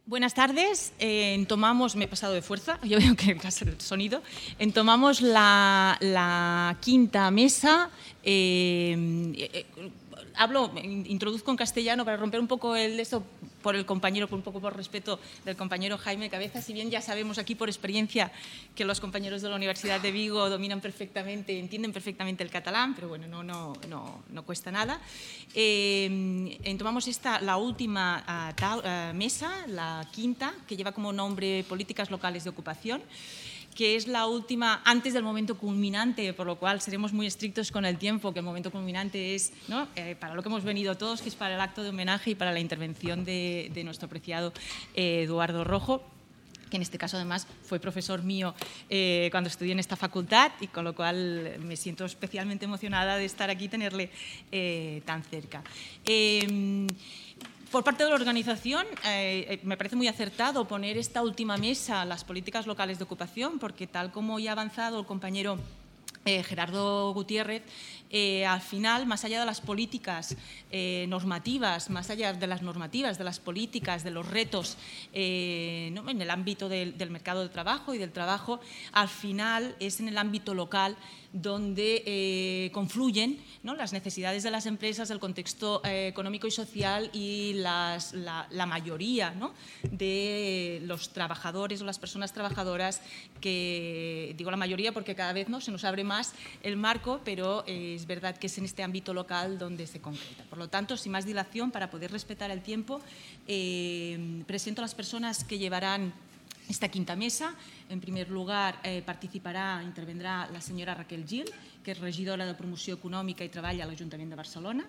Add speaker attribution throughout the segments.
Speaker 1: Buenas tardes. Entomamos, me he pasado de fuerza, yo veo que pasa el sonido. Entomamos la quinta mesa. Introduzco en castellano para romper un poco esto por el compañero, un poco por respeto del compañero Jaime Cabeza. Si bien ya sabemos aquí por experiencia que los compañeros de la Universidad de Vigo dominan perfectamente, entienden perfectamente el catalán, pero bueno, no cuesta nada. Tomamos la última mesa, la quinta, que lleva como nombre Políticas Locales de Ocupación, que es la última antes del momento culminante, por lo cual seremos muy estrictos con el tiempo, que el momento culminante es, ¿no?, para lo que hemos venido todos, que es para el acto de homenaje y para la intervención de nuestro apreciado Eduardo Rojo, que en este caso además fue profesor mío cuando estudié en esta facultad, y con lo cual me siento especialmente emocionada de estar aquí y tenerle tan cerca. Por parte de la organización, me parece muy acertado poner esta última mesa, las políticas locales de ocupación, porque tal como ya ha avanzado el compañero Gerardo Gutiérrez, al final, más allá de las políticas normativas, más allá de las normativas, de las políticas, de los retos ¿no?, en el ámbito del mercado de trabajo y del trabajo, al final es en el ámbito local donde confluyen, ¿no?, las necesidades de las empresas, el contexto económico y social y la mayoría, ¿no?, de los trabajadores o las personas trabajadoras, que digo la mayoría porque cada vez, ¿no?, se nos abre más el marco, pero es verdad que es en este ámbito local donde se concreta. Por lo tanto, sin más dilación, para poder respetar el tiempo, presento a las personas que llevarán esta quinta mesa. En primer lugar, intervendrà la senyora Raquel Gil, que és regidora de Promoció Econòmica i Treball a l'Ajuntament de Barcelona.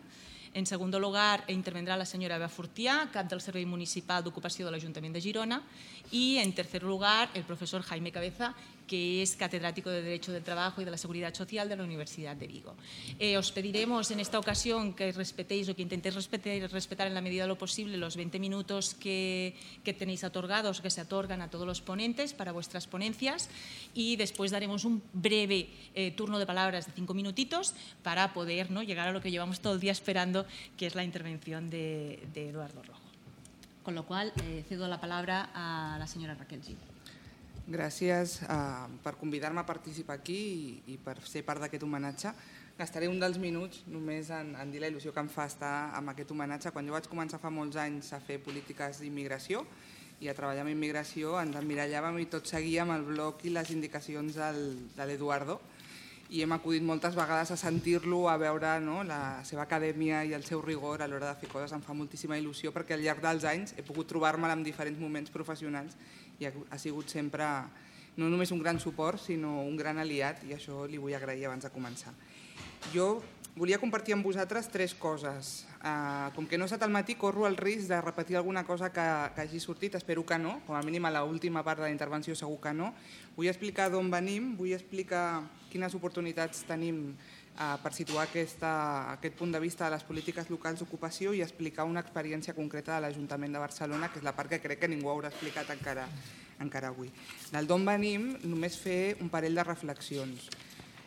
Speaker 1: En segundo lugar, intervendrá la señora Eva Fortià, cap del Servei Municipal d'Ocupació de l'Ajuntament de Girona. Y en tercer lugar, el profesor Jaime Cabeza, que es catedrático de Derecho del Trabajo y de la Seguridad Social de la Universidad de Vigo. Os pediremos en esta ocasión que respetéis o que intentéis respetar en la medida de lo posible los 20 minutos que tenéis otorgados, que se otorgan a todos los ponentes para vuestras ponencias, y después daremos un breve turno de palabras de 5 minutitos para poder, ¿no?, llegar a lo que llevamos todo el día esperando, que es la intervención de Eduardo Rojo. Con lo cual, cedo la palabra a la senyora Raquel Gil.
Speaker 2: Gràcies per convidar-me a participar aquí i per ser part d'aquest homenatge. Gastaré un dels minuts només en dir la il·lusió que em fa estar amb aquest homenatge. Quan jo vaig començar fa molts anys a fer polítiques d'immigració i a treballar amb immigració, ens emmirallàvem i tot seguíem el bloc i les indicacions de l'Eduardo, i hem acudit moltes vegades a sentir-lo, a veure, no?, la seva acadèmia i el seu rigor a l'hora de fer coses. Em fa moltíssima il·lusió perquè al llarg dels anys he pogut trobar-me'l en diferents moments professionals i ha sigut sempre no només un gran suport, sinó un gran aliat, i això li vull agrair abans de començar. Jo volia compartir amb vosaltres 3 coses. Com que no he estat al matí, corro el risc de repetir alguna cosa que hagi sortit, espero que no, com a mínim a l'última part de la intervenció segur que no. Vull explicar d'on venim, vull explicar quines oportunitats tenim per situar aquest punt de vista de les polítiques locals d'ocupació i explicar una experiència concreta de l'Ajuntament de Barcelona, que és la part que crec que ningú haurà explicat encara avui. Del d'on venim, només fer un parell de reflexions.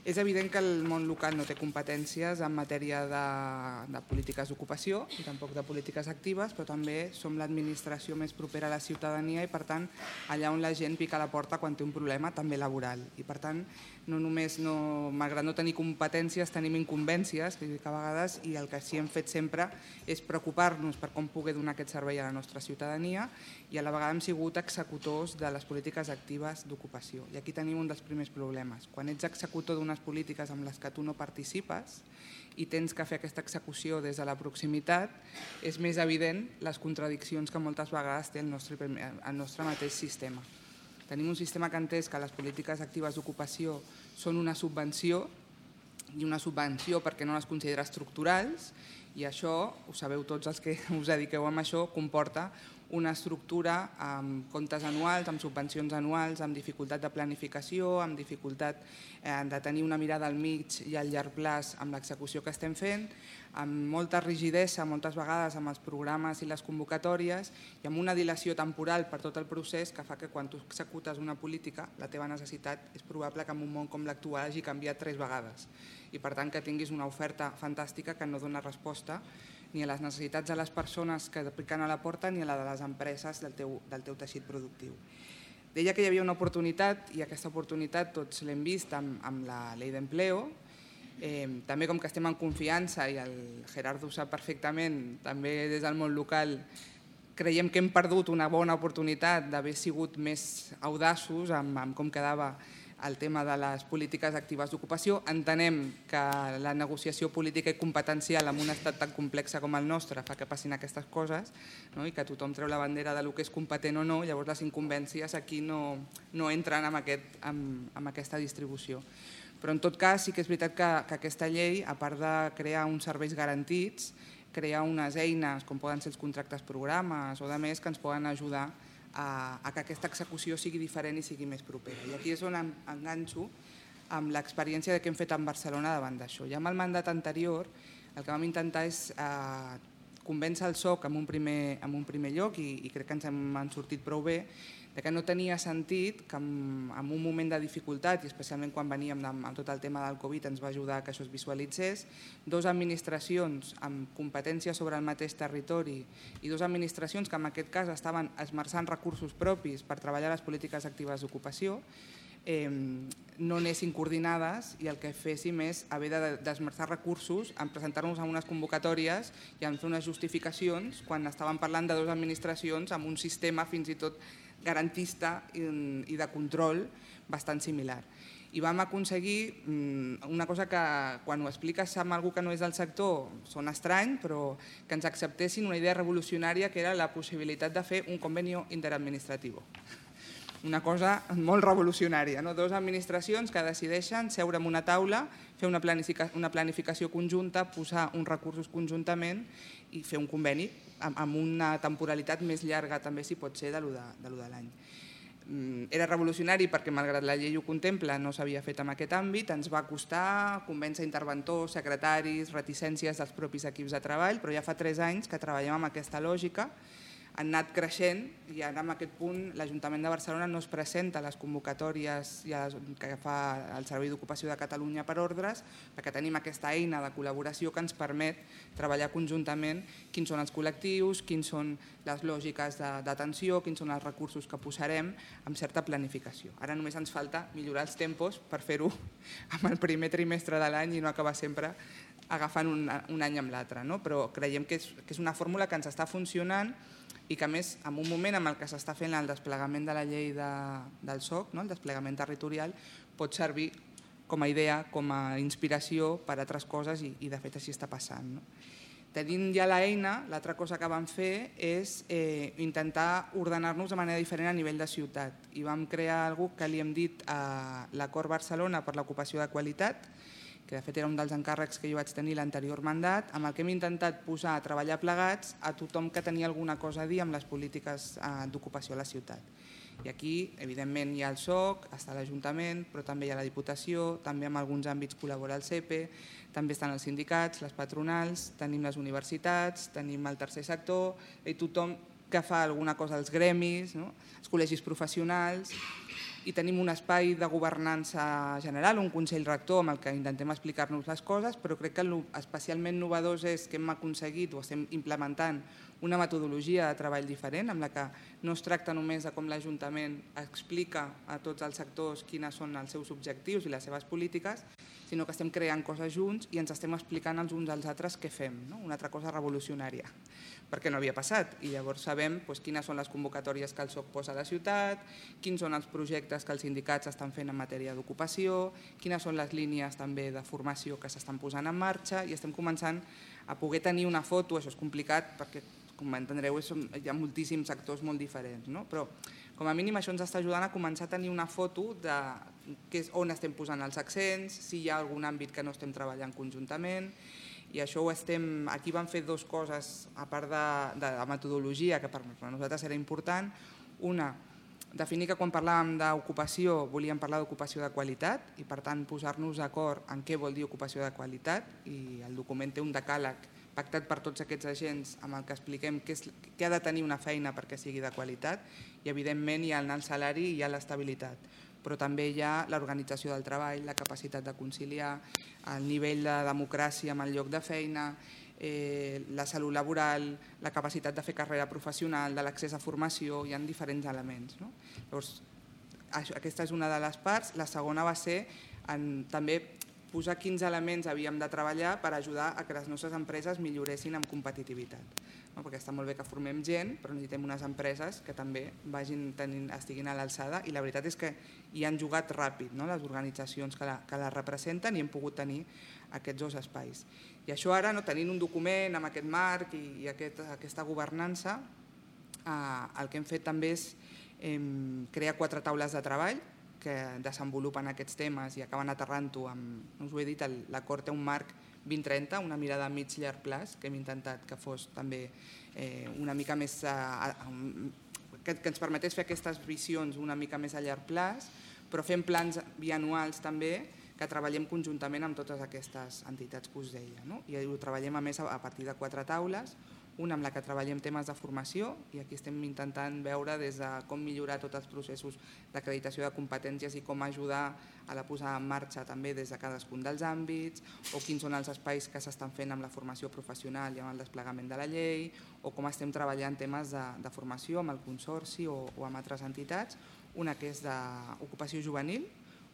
Speaker 2: És evident que el món local no té competències en matèria de polítiques d'ocupació i tampoc de polítiques actives, però també som l'administració més propera a la ciutadania i, per tant, allà on la gent pica a la porta quan té un problema, també laboral. I, per tant, no només, malgrat no tenir competències, tenim incumbències, que a vegades, i el que sí hem fet sempre és preocupar-nos per com poder donar aquest servei a la nostra ciutadania, i a la vegada hem sigut executors de les polítiques actives d'ocupació. I aquí tenim un dels primers problemes. Quan ets executor d'unes polítiques amb les que tu no participes i tens que fer aquesta execució des de la proximitat, és més evident les contradiccions que moltes vegades té el nostre mateix sistema. Tenim un sistema que ha entès que les polítiques actives d'ocupació són una subvenció, i una subvenció perquè no les considera estructurals, i això, ho sabeu tots els que us dediqueu a això, comporta una estructura amb comptes anuals, amb subvencions anuals, amb dificultat de planificació, amb dificultat de tenir una mirada al mig i al llarg plaç amb l'execució que estem fent, amb molta rigidesa moltes vegades amb els programes i les convocatòries i amb una dilació temporal per tot el procés que fa que quan tu executes una política la teva necessitat és probable que en un món com l'actual hagi canviat 3 vegades i per tant que tinguis una oferta fantàstica que no dona resposta ni a les necessitats de les persones que piquen a la porta ni a la de les empreses del teu teixit productiu. Deia que hi havia una oportunitat i aquesta oportunitat tots l'hem vist amb la Llei d'Empleo. També com que estem en confiança i el Gerardo ho sap perfectament, també des del món local creiem que hem perdut una bona oportunitat d'haver sigut més audaços amb com quedava el tema de les polítiques actives d'ocupació. Entenem que la negociació política i competencial en un estat tan complex com el nostre fa que passin aquestes coses, no? I que tothom treu la bandera de lo que és competent o no, llavors les incumbències aquí no entren amb aquesta distribució. Però en tot cas sí que és veritat que aquesta llei, a part de crear uns serveis garantits, crea unes eines com poden ser els contractes programes o de més que ens poden ajudar a que aquesta execució sigui diferent i sigui més propera. I aquí és on enganxo amb l'experiència que hem fet en Barcelona davant d'això. Ja amb el mandat anterior el que vam intentar és convèncer el SOC en un primer lloc i crec que ens hem sortit prou bé que no tenia sentit que en un moment de dificultat, i especialment quan veníem amb tot el tema del Covid ens va ajudar que això es visualitzés, dues administracions amb competència sobre el mateix territori i dues administracions que en aquest cas estaven esmerçant recursos propis per treballar les polítiques actives d'ocupació, no anessin coordinades i el que féssim és haver d'esmerçar recursos en presentar-nos a unes convocatòries i en fer unes justificacions quan estàvem parlant de dues administracions amb un sistema fins i tot garantista i de control bastant similar. I vam aconseguir una cosa que quan ho expliques amb algú que no és del sector sona estrany, però que ens acceptessin una idea revolucionària que era la possibilitat de fer un convenio interadministratiu. Una cosa molt revolucionària, no? Dues administracions que decideixen seure en una taula, fer una planificació conjunta, posar uns recursos conjuntament i fer un conveni amb una temporalitat més llarga també si pot ser de lo de l'any. Era revolucionari perquè malgrat la llei ho contempla no s'havia fet en aquest àmbit, ens va costar convèncer interventors, secretaris, reticències dels propis equips de treball, però ja fa 3 anys que treballem amb aquesta lògica, han anat creixent i ara en aquest punt l'Ajuntament de Barcelona no es presenta a les convocatòries que fa el Servei d'Ocupació de Catalunya per ordres perquè tenim aquesta eina de col·laboració que ens permet treballar conjuntament quins són els col·lectius, quins són les lògiques d'atenció, quins són els recursos que posarem amb certa planificació. Ara només ens falta millorar els tempos per fer-ho amb el primer trimestre de l'any i no acabar sempre agafant un any amb l'altre, no? Però creiem que és una fórmula que ens està funcionant i que a més en un moment en què s'està fent el desplegament de la llei del SOC, el desplegament territorial, pot servir com a idea, com a inspiració per a altres coses i de fet així està passant. Tenint ja l'eina, l'altra cosa que vam fer és intentar ordenar-nos de manera diferent a nivell de ciutat i vam crear alguna cosa que li hem dit a l'Acord Barcelona per l'ocupació de qualitat, que de fet era un dels encàrrecs que jo vaig tenir l'anterior mandat, amb el que hem intentat posar a treballar plegats a tothom que tenia alguna cosa a dir amb les polítiques d'ocupació a la ciutat. I aquí, evidentment, hi ha el SOC, està l'Ajuntament, però també hi ha la Diputació, també en alguns àmbits col·labora el CEPE, també estan els sindicats, les patronals, tenim les universitats, tenim el tercer sector, i tothom que fa alguna cosa als gremis, els col·legis professionals, i tenim un espai de governança general, un Consell Rector amb el que intentem explicar-nos les coses, però crec que especialment novedós és que hem aconseguit o estem implementant una metodologia de treball diferent, amb la que no es tracta només de com l'Ajuntament explica a tots els sectors quines són els seus objectius i les seves polítiques, sinó que estem creant coses junts i ens estem explicant els uns als altres què fem, una altra cosa revolucionària, perquè no havia passat. I llavors sabem quines són les convocatòries que el SOC posa a la ciutat, quins són els projectes que els sindicats estan fent en matèria d'ocupació, quines són les línies també de formació que s'estan posant en marxa i estem començant a poder tenir una foto, això és complicat perquè, com entendreu, hi ha moltíssims sectors molt diferents, però com a mínim això ens està ajudant a començar a tenir una foto de on estem posant els accents, si hi ha algun àmbit que no estem treballant conjuntament, i això ho estem... Aquí vam fer 2 coses, a part de la metodologia, que per nosaltres era important. Una, definir que quan parlàvem d'ocupació volíem parlar d'ocupació de qualitat i per tant posar-nos d'acord en què vol dir ocupació de qualitat, i el document té un decàleg pactat per tots aquests agents amb el que expliquem què ha de tenir una feina perquè sigui de qualitat, i evidentment hi ha el salari i hi ha l'estabilitat, però també hi ha l'organització del treball, la capacitat de conciliar, el nivell de democràcia amb el lloc de feina, la salut laboral, la capacitat de fer carrera professional, de l'accés a formació, hi ha diferents elements. Llavors, aquesta és una de les parts. La segona va ser també posar quins elements havíem de treballar per ajudar a que les nostres empreses milloressin en competitivitat. Perquè està molt bé que formem gent, però necessitem unes empreses que també estiguin a l'alçada, i la veritat és que hi han jugat ràpid les organitzacions que la representen i hem pogut tenir aquests dos espais. I això ara, tenint un document amb aquest marc i aquesta governança, el que hem fet també és crear 4 taules de treball que desenvolupen aquests temes i acaben aterrant-ho amb, us ho he dit, l'acord té un marc 2030, una mirada a mig llarg plaç, que hem intentat que fos també una mica més, que ens permetés fer aquestes visions una mica més a llarg plaç, però fem plans bianuals també que treballem conjuntament amb totes aquestes entitats que us deia. I ho treballem a més a partir de 4 taules, una amb la que treballem temes de formació, i aquí estem intentant veure des de com millorar tots els processos d'acreditació de competències i com ajudar a la posada en marxa també des de cadascun dels àmbits, o quins són els espais que s'estan fent amb la formació professional i amb el desplegament de la llei, o com estem treballant temes de formació amb el Consorci o amb altres entitats. Una que és d'ocupació juvenil,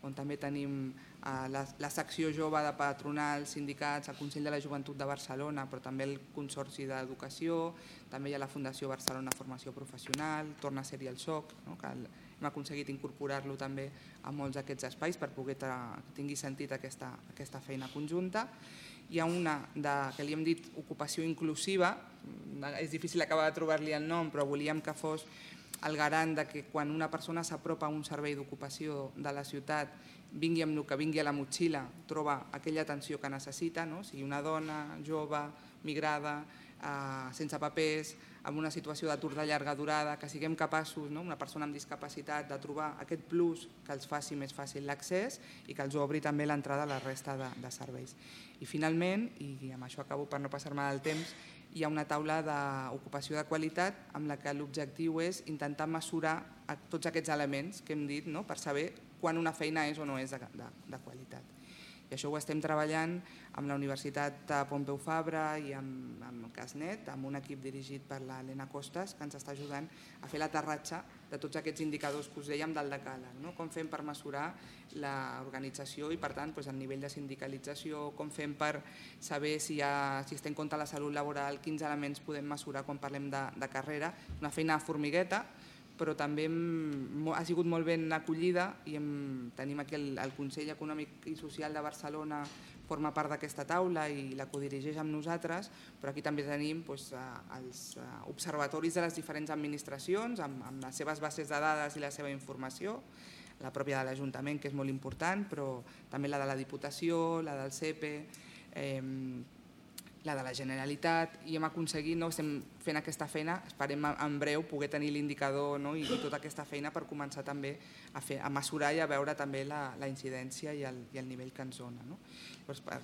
Speaker 2: on també tenim la secció jove de patronals, sindicats, el Consell de la Joventut de Barcelona, però també el Consorci d'Educació, també hi ha la Fundació Barcelona Formació Professional, torna a ser-hi el SOC, que hem aconseguit incorporar-lo també a molts d'aquests espais per poder que tingui sentit aquesta feina conjunta. Hi ha una que li hem dit ocupació inclusiva, és difícil acabar de trobar-li el nom, però volíem que fos el garant que quan una persona s'apropa a un servei d'ocupació de la ciutat, vingui amb el que vingui a la motxilla, troba aquella atenció que necessita, sigui una dona, jove, migrada, sense papers, amb una situació d'atur de llarga durada, que siguem capaços, una persona amb discapacitat, de trobar aquest plus que els faci més fàcil l'accés i que els obri també l'entrada a la resta de serveis. I finalment, i amb això acabo per no passar-me del temps, hi ha una taula d'ocupació de qualitat amb la que l'objectiu és intentar mesurar tots aquests elements que hem dit per saber quan una feina és o no és de qualitat. I això ho estem treballant amb la Universitat Pompeu Fabra i amb el CASNet, amb un equip dirigit per l'Helena Costas, que ens està ajudant a fer l'aterratge de tots aquests indicadors que us dèiem del decàleg. Com fem per mesurar l'organització i, per tant, el nivell de sindicalització, com fem per saber si es té en compte la salut laboral, quins elements podem mesurar quan parlem de carrera. Una feina de formigueta, però també ha sigut molt ben acollida i tenim aquí el Consell Econòmic i Social de Barcelona, forma part d'aquesta taula i la codirigeix amb nosaltres, però aquí també tenim els observatoris de les diferents administracions amb les seves bases de dades i la seva informació, la pròpia de l'Ajuntament, que és molt important, però també la de la Diputació, la del CEPE, la de la Generalitat, i hem aconseguit, estem fent aquesta feina, esperem en breu poder tenir l'indicador i tota aquesta feina per començar també a mesurar i a veure també la incidència i el nivell que ens dona.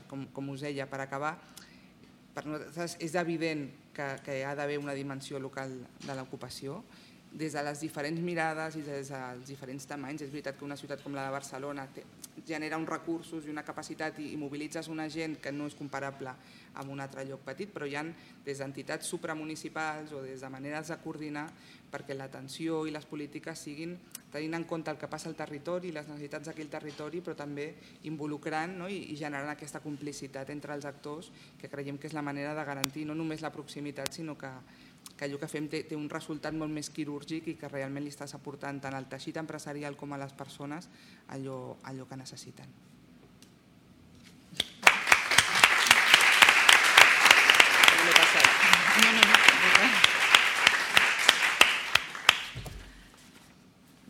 Speaker 2: Com us deia, per acabar, per nosaltres és evident que hi ha d'haver una dimensió local de l'ocupació, des de les diferents mirades i des dels diferents tamanys. És veritat que una ciutat com la de Barcelona genera uns recursos i una capacitat i mobilitzes una gent que no és comparable amb un altre lloc petit, però hi ha des d'entitats supramunicipals o des de maneres de coordinar perquè l'atenció i les polítiques siguin tenint en compte el que passa al territori i les necessitats d'aquell territori, però també involucrant i generant aquesta complicitat entre els actors, que creiem que és la manera de garantir no només la proximitat, sinó que allò que fem té un resultat molt més quirúrgic i que realment li estàs aportant tant al teixit empresarial com a les persones allò que necessiten.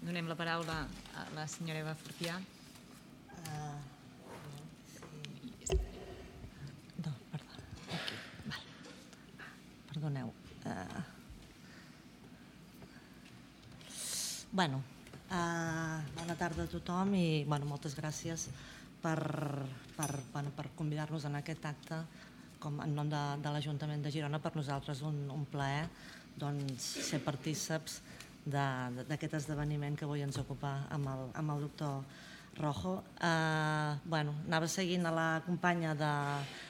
Speaker 1: Donem la paraula a la senyora Eva Fortià.
Speaker 3: No, perdoneu. Bona tarda a tothom i moltes gràcies per convidar-nos en aquest acte en nom de l'Ajuntament de Girona. Per nosaltres un plaer ser partíceps d'aquest esdeveniment que avui ens ocupa amb el doctor Rojo. Anava seguint a la companya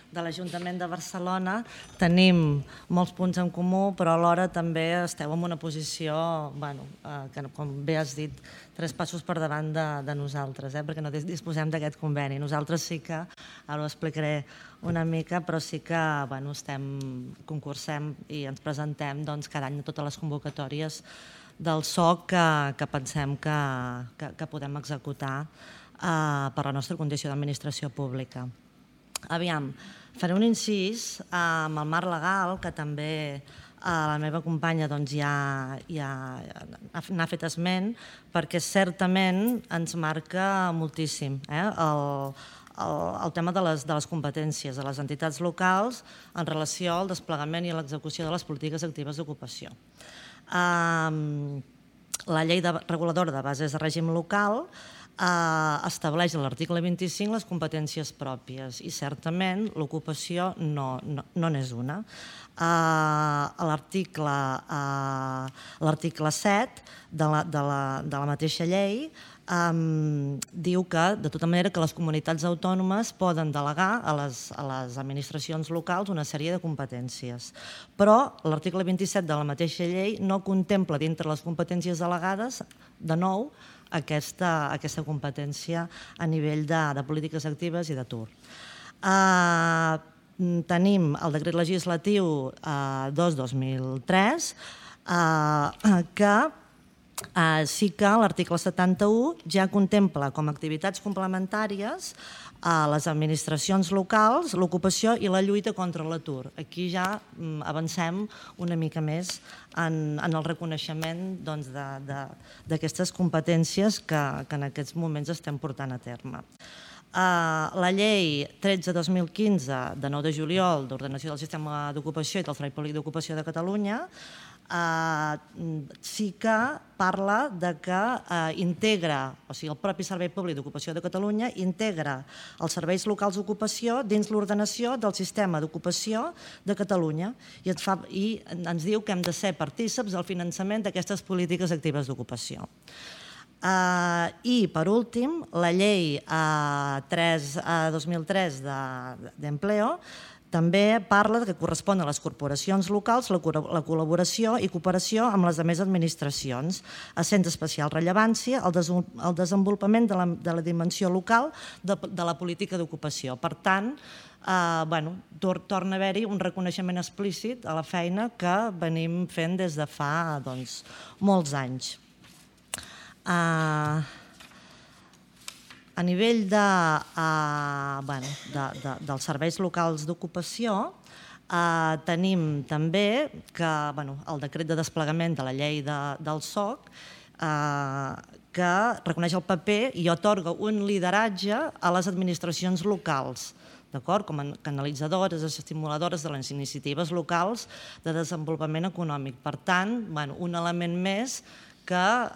Speaker 3: de l'Ajuntament de Barcelona tenim molts punts en comú, però alhora també esteu en una posició, que com bé has dit, 3 passos per davant de nosaltres, perquè no disposem d'aquest conveni. Nosaltres sí que, ara ho explicaré una mica, però sí que concursem i ens presentem cada any a totes les convocatòries del SOC que pensem que podem executar per la nostra condició d'administració pública. Aviam, faré un incís amb el marc legal, que també la meva companya ja n'ha fet esment, perquè certament ens marca moltíssim el tema de les competències de les entitats locals en relació al desplegament i a l'execució de les polítiques actives d'ocupació. La llei reguladora de bases de règim local estableix a l'article 25 les competències pròpies i certament l'ocupació no n'és una. L'article 7 de la mateixa llei diu que, de tota manera, que les comunitats autònomes poden delegar a les administracions locals una sèrie de competències. Però l'article 27 de la mateixa llei no contempla dintre les competències delegades, de nou, aquesta competència a nivell de polítiques actives i d'atur. Tenim el decret legislatiu 2/2003 que sí que l'article 71 ja contempla com a activitats complementàries a les administracions locals l'ocupació i la lluita contra l'atur. Aquí ja avancem una mica més en el reconeixement d'aquestes competències que en aquests moments estem portant a terme. La llei 13/2015 de 9 de juliol d'ordenació del sistema d'ocupació i del Servei Públic d'Ocupació de Catalunya sí que parla que integra, o sigui, el propi Servei Públic d'Ocupació de Catalunya integra els serveis locals d'ocupació dins l'ordenació del sistema d'ocupació de Catalunya i ens diu que hem de ser partícips del finançament d'aquestes polítiques actives d'ocupació. I, per últim, la llei 3/2003 d'Empleo també parla que correspon a les corporacions locals la col·laboració i cooperació amb les altres administracions, essent d'especial rellevància el desenvolupament de la dimensió local de la política d'ocupació. Per tant, torna a haver-hi un reconeixement explícit a la feina que venim fent des de fa molts anys. A nivell dels serveis locals d'ocupació tenim també que el decret de desplegament de la llei del SOC que reconeix el paper i atorga un lideratge a les administracions locals, com a canalitzadores, estimuladores de les iniciatives locals de desenvolupament econòmic. Per tant, un element més que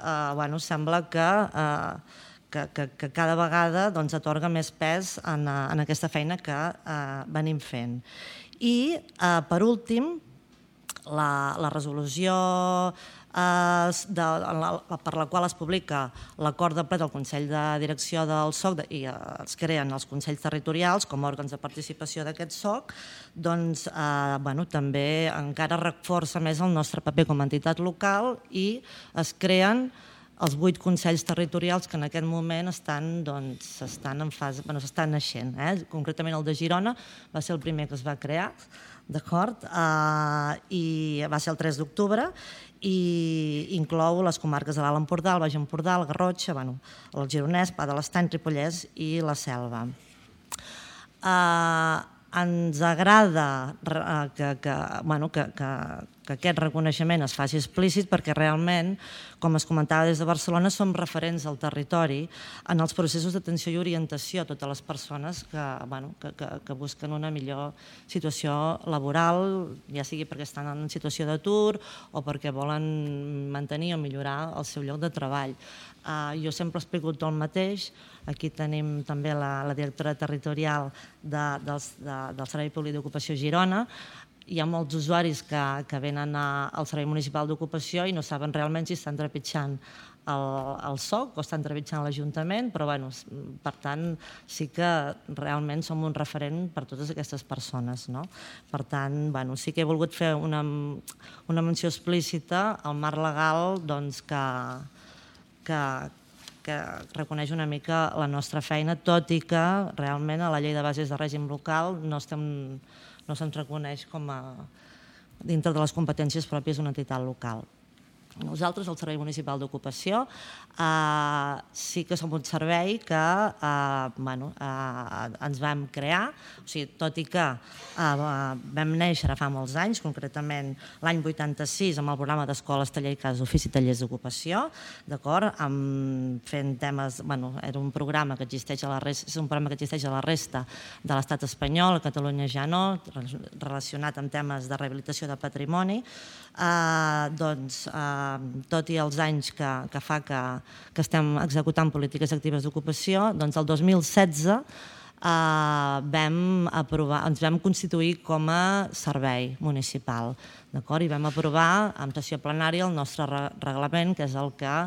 Speaker 3: sembla que cada vegada atorga més pes en aquesta feina que venim fent. I, per últim, la resolució per la qual es publica l'acord de ple del Consell de Direcció del SOC i es creen els Consells Territorials com a òrgans de participació d'aquest SOC, també encara reforça més el nostre paper com a entitat local i es creen els 8 Consells Territorials que en aquest moment estan naixent. Concretament el de Girona va ser el primer que es va crear, d'acord? I va ser el 3 d'octubre i inclou les comarques de l'Alt Empordà, el Baix Empordà, el Garrotxa, el Gironès, Pla de l'Estany, Ripollès i la Selva. Ens agrada que aquest reconeixement es faci explícit perquè realment, com es comentava des de Barcelona, som referents al territori en els processos d'atenció i orientació a totes les persones que busquen una millor situació laboral, ja sigui perquè estan en situació d'atur o perquè volen mantenir o millorar el seu lloc de treball. Jo sempre explico tot el mateix. Aquí tenim també la directora territorial del Servei Públic d'Ocupació Girona. Hi ha molts usuaris que venen al Servei Municipal d'Ocupació i no saben realment si estan trepitjant el SOC o està entrevistant l'Ajuntament, però per tant sí que realment som un referent per totes aquestes persones. Per tant, sí que he volgut fer una menció explícita al marc legal que reconeix una mica la nostra feina, tot i que realment a la llei de bases de règim local no se'ns reconeix com a dintre de les competències pròpies d'una entitat local. Nosaltres, el Servei Municipal d'Ocupació, sí que som un servei que ens vam crear, tot i que vam néixer fa molts anys, concretament l'any 86 amb el programa d'escoles, taller i cases, ofici i tallers d'ocupació, d'acord? Fent temes, era un programa que existeix a la resta de l'estat espanyol, a Catalunya ja no, relacionat amb temes de rehabilitació de patrimoni. Tot i els anys que fa que estem executant polítiques actives d'ocupació, doncs el 2016 ens vam constituir com a servei municipal, i vam aprovar en sessió plenària el nostre reglament, que és el que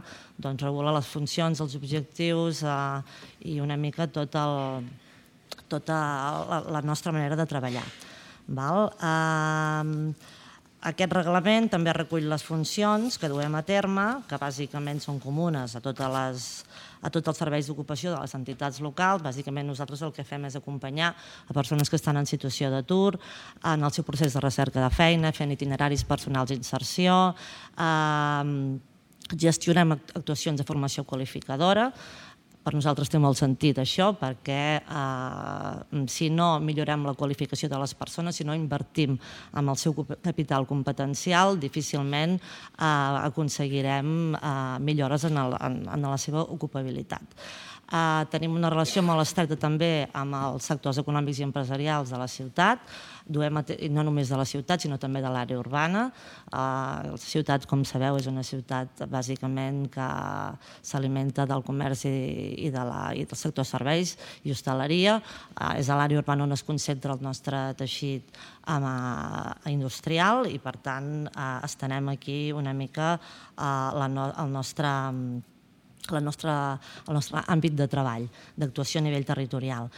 Speaker 3: regula les funcions, els objectius i una mica tota la nostra manera de treballar. Aquest reglament també recull les funcions que duem a terme, que bàsicament són comunes a tots els serveis d'ocupació de les entitats locals. Bàsicament nosaltres el que fem és acompanyar a persones que estan en situació d'atur en el seu procés de recerca de feina, fent itineraris personals d'inserció, gestionem actuacions de formació qualificadora. Per nosaltres té molt sentit això, perquè si no millorem la qualificació de les persones, si no invertim en el seu capital competencial, difícilment aconseguirem millores en la seva ocupabilitat. Tenim una relació molt estreta també amb els sectors econòmics i empresarials de la ciutat, no només de la ciutat, sinó també de l'àrea urbana. La ciutat, com sabeu, és una ciutat bàsicament que s'alimenta del comerç i del sector serveis i hostaleria. És a l'àrea urbana on es concentra el nostre teixit industrial i, per tant, estenem aquí una mica el nostre àmbit de treball, d'actuació a nivell territorial.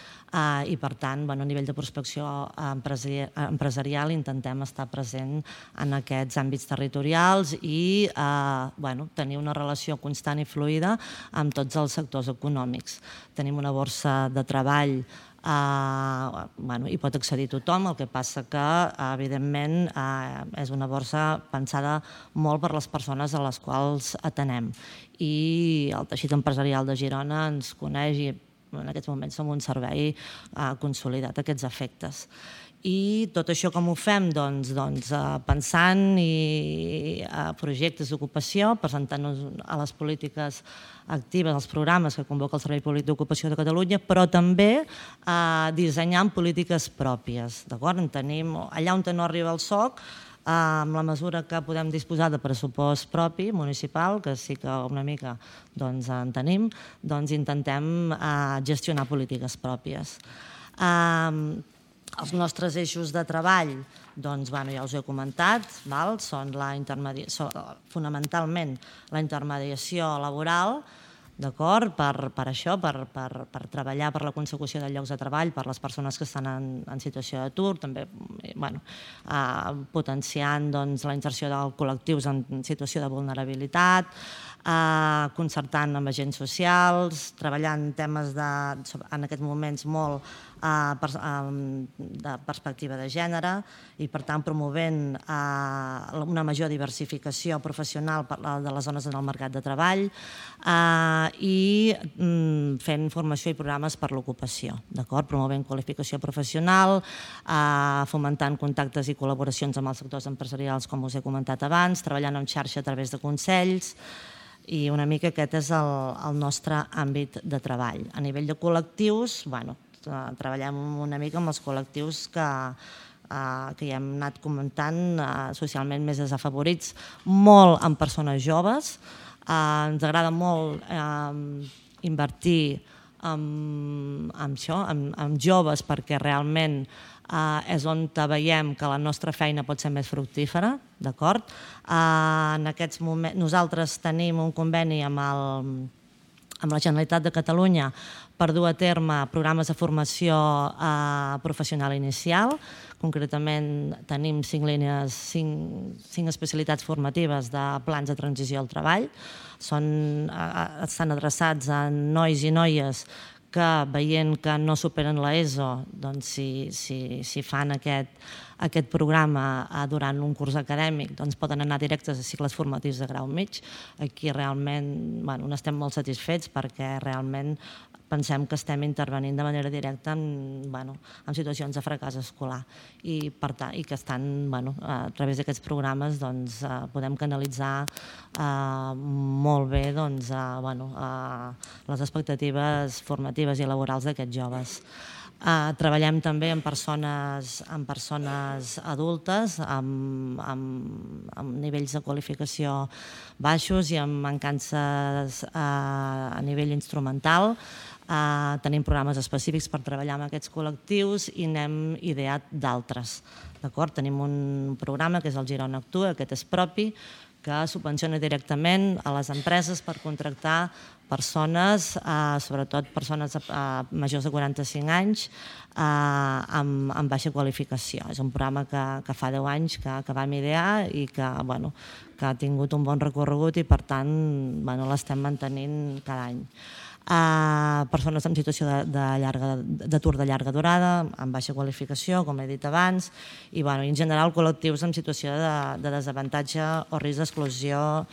Speaker 3: I, per tant, a nivell de prospecció empresarial intentem estar present en aquests àmbits territorials i tenir una relació constant i fluida amb tots els sectors econòmics. Tenim una borsa de treball hi pot accedir tothom, el que passa que, evidentment, és una borsa pensada molt per les persones a les quals atenem. I el teixit empresarial de Girona ens coneix i en aquests moments som un servei consolidat a aquests efectes. I tot això com ho fem? Doncs pensant a projectes d'ocupació, presentant-nos a les polítiques actives, als programes que convoca el Servei Públic d'Ocupació de Catalunya, però també dissenyant polítiques pròpies. Allà on no arriba el SOC, amb la mesura que podem disposar de pressupost propi, municipal, que sí que una mica en tenim, intentem gestionar polítiques pròpies. Els nostres eixos de treball, ja us he comentat, són fonamentalment la intermediació laboral, per això, per treballar per la consecució de llocs de treball per les persones que estan en situació d'atur, també potenciant la inserció de col·lectius en situació de vulnerabilitat, concertant amb agents socials, treballant temes en aquests moments molt de perspectiva de gènere i, per tant, promovent una major diversificació professional de les dones en el mercat de treball i fent formació i programes per l'ocupació, promovent qualificació professional, fomentant contactes i col·laboracions amb els sectors empresarials, com us he comentat abans, treballant en xarxa a través de consells, i una mica aquest és el nostre àmbit de treball. A nivell de col·lectius, treballem una mica amb els col·lectius que ja hem anat comentant, socialment més desafavorits, molt en persones joves. Ens agrada molt invertir amb joves, perquè realment és on veiem que la nostra feina pot ser més fructífera, d'acord? En aquests moments nosaltres tenim un conveni amb la Generalitat de Catalunya per dur a terme programes de formació professional inicial. Concretament tenim 5 línies, 5 especialitats formatives de plans de transició al treball. Estan adreçats a nois i noies que, veient que no superen l'ESO, doncs si fan aquest programa durant un curs acadèmic, doncs poden anar directes a cicles formatius de grau mig. Aquí realment n'estem molt satisfets perquè realment pensem que estem intervenint de manera directa en situacions de fracàs escolar i que estan, a través d'aquests programes podem canalitzar molt bé les expectatives formatives i laborals d'aquests joves. Treballem també amb persones adultes amb nivells de qualificació baixos i amb mancances a nivell instrumental. Tenim programes específics per treballar amb aquests col·lectius i n'hem ideat d'altres. Tenim un programa que és el Girona Actua, aquest és propi, que subvenciona directament a les empreses per contractar persones, sobretot persones majors de 45 anys, amb baixa qualificació. És un programa que fa 10 anys que vam idear i que ha tingut un bon recorregut i, per tant, l'estem mantenint cada any. Persones en situació d'atur de llarga durada, amb baixa qualificació, com he dit abans, i en general col·lectius en situació de desavantatge o risc d'exclusió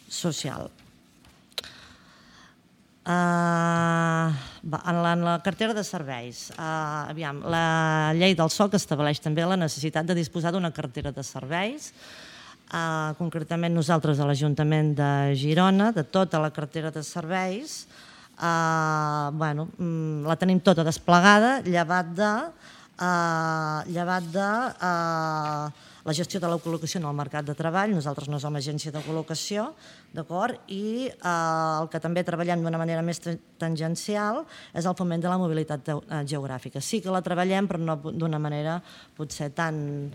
Speaker 3: social. En la cartera de serveis, la llei del SOC estableix també la necessitat de disposar d'una cartera de serveis. Concretament nosaltres a l'Ajuntament de Girona, de tota la cartera de serveis, la tenim tota desplegada, llevat de la gestió de la col·locació en el mercat de treball. Nosaltres no som agència de col·locació, d'acord? I el que també treballem d'una manera més tangencial és el foment de la mobilitat geogràfica. Sí que la treballem, però no d'una manera potser tan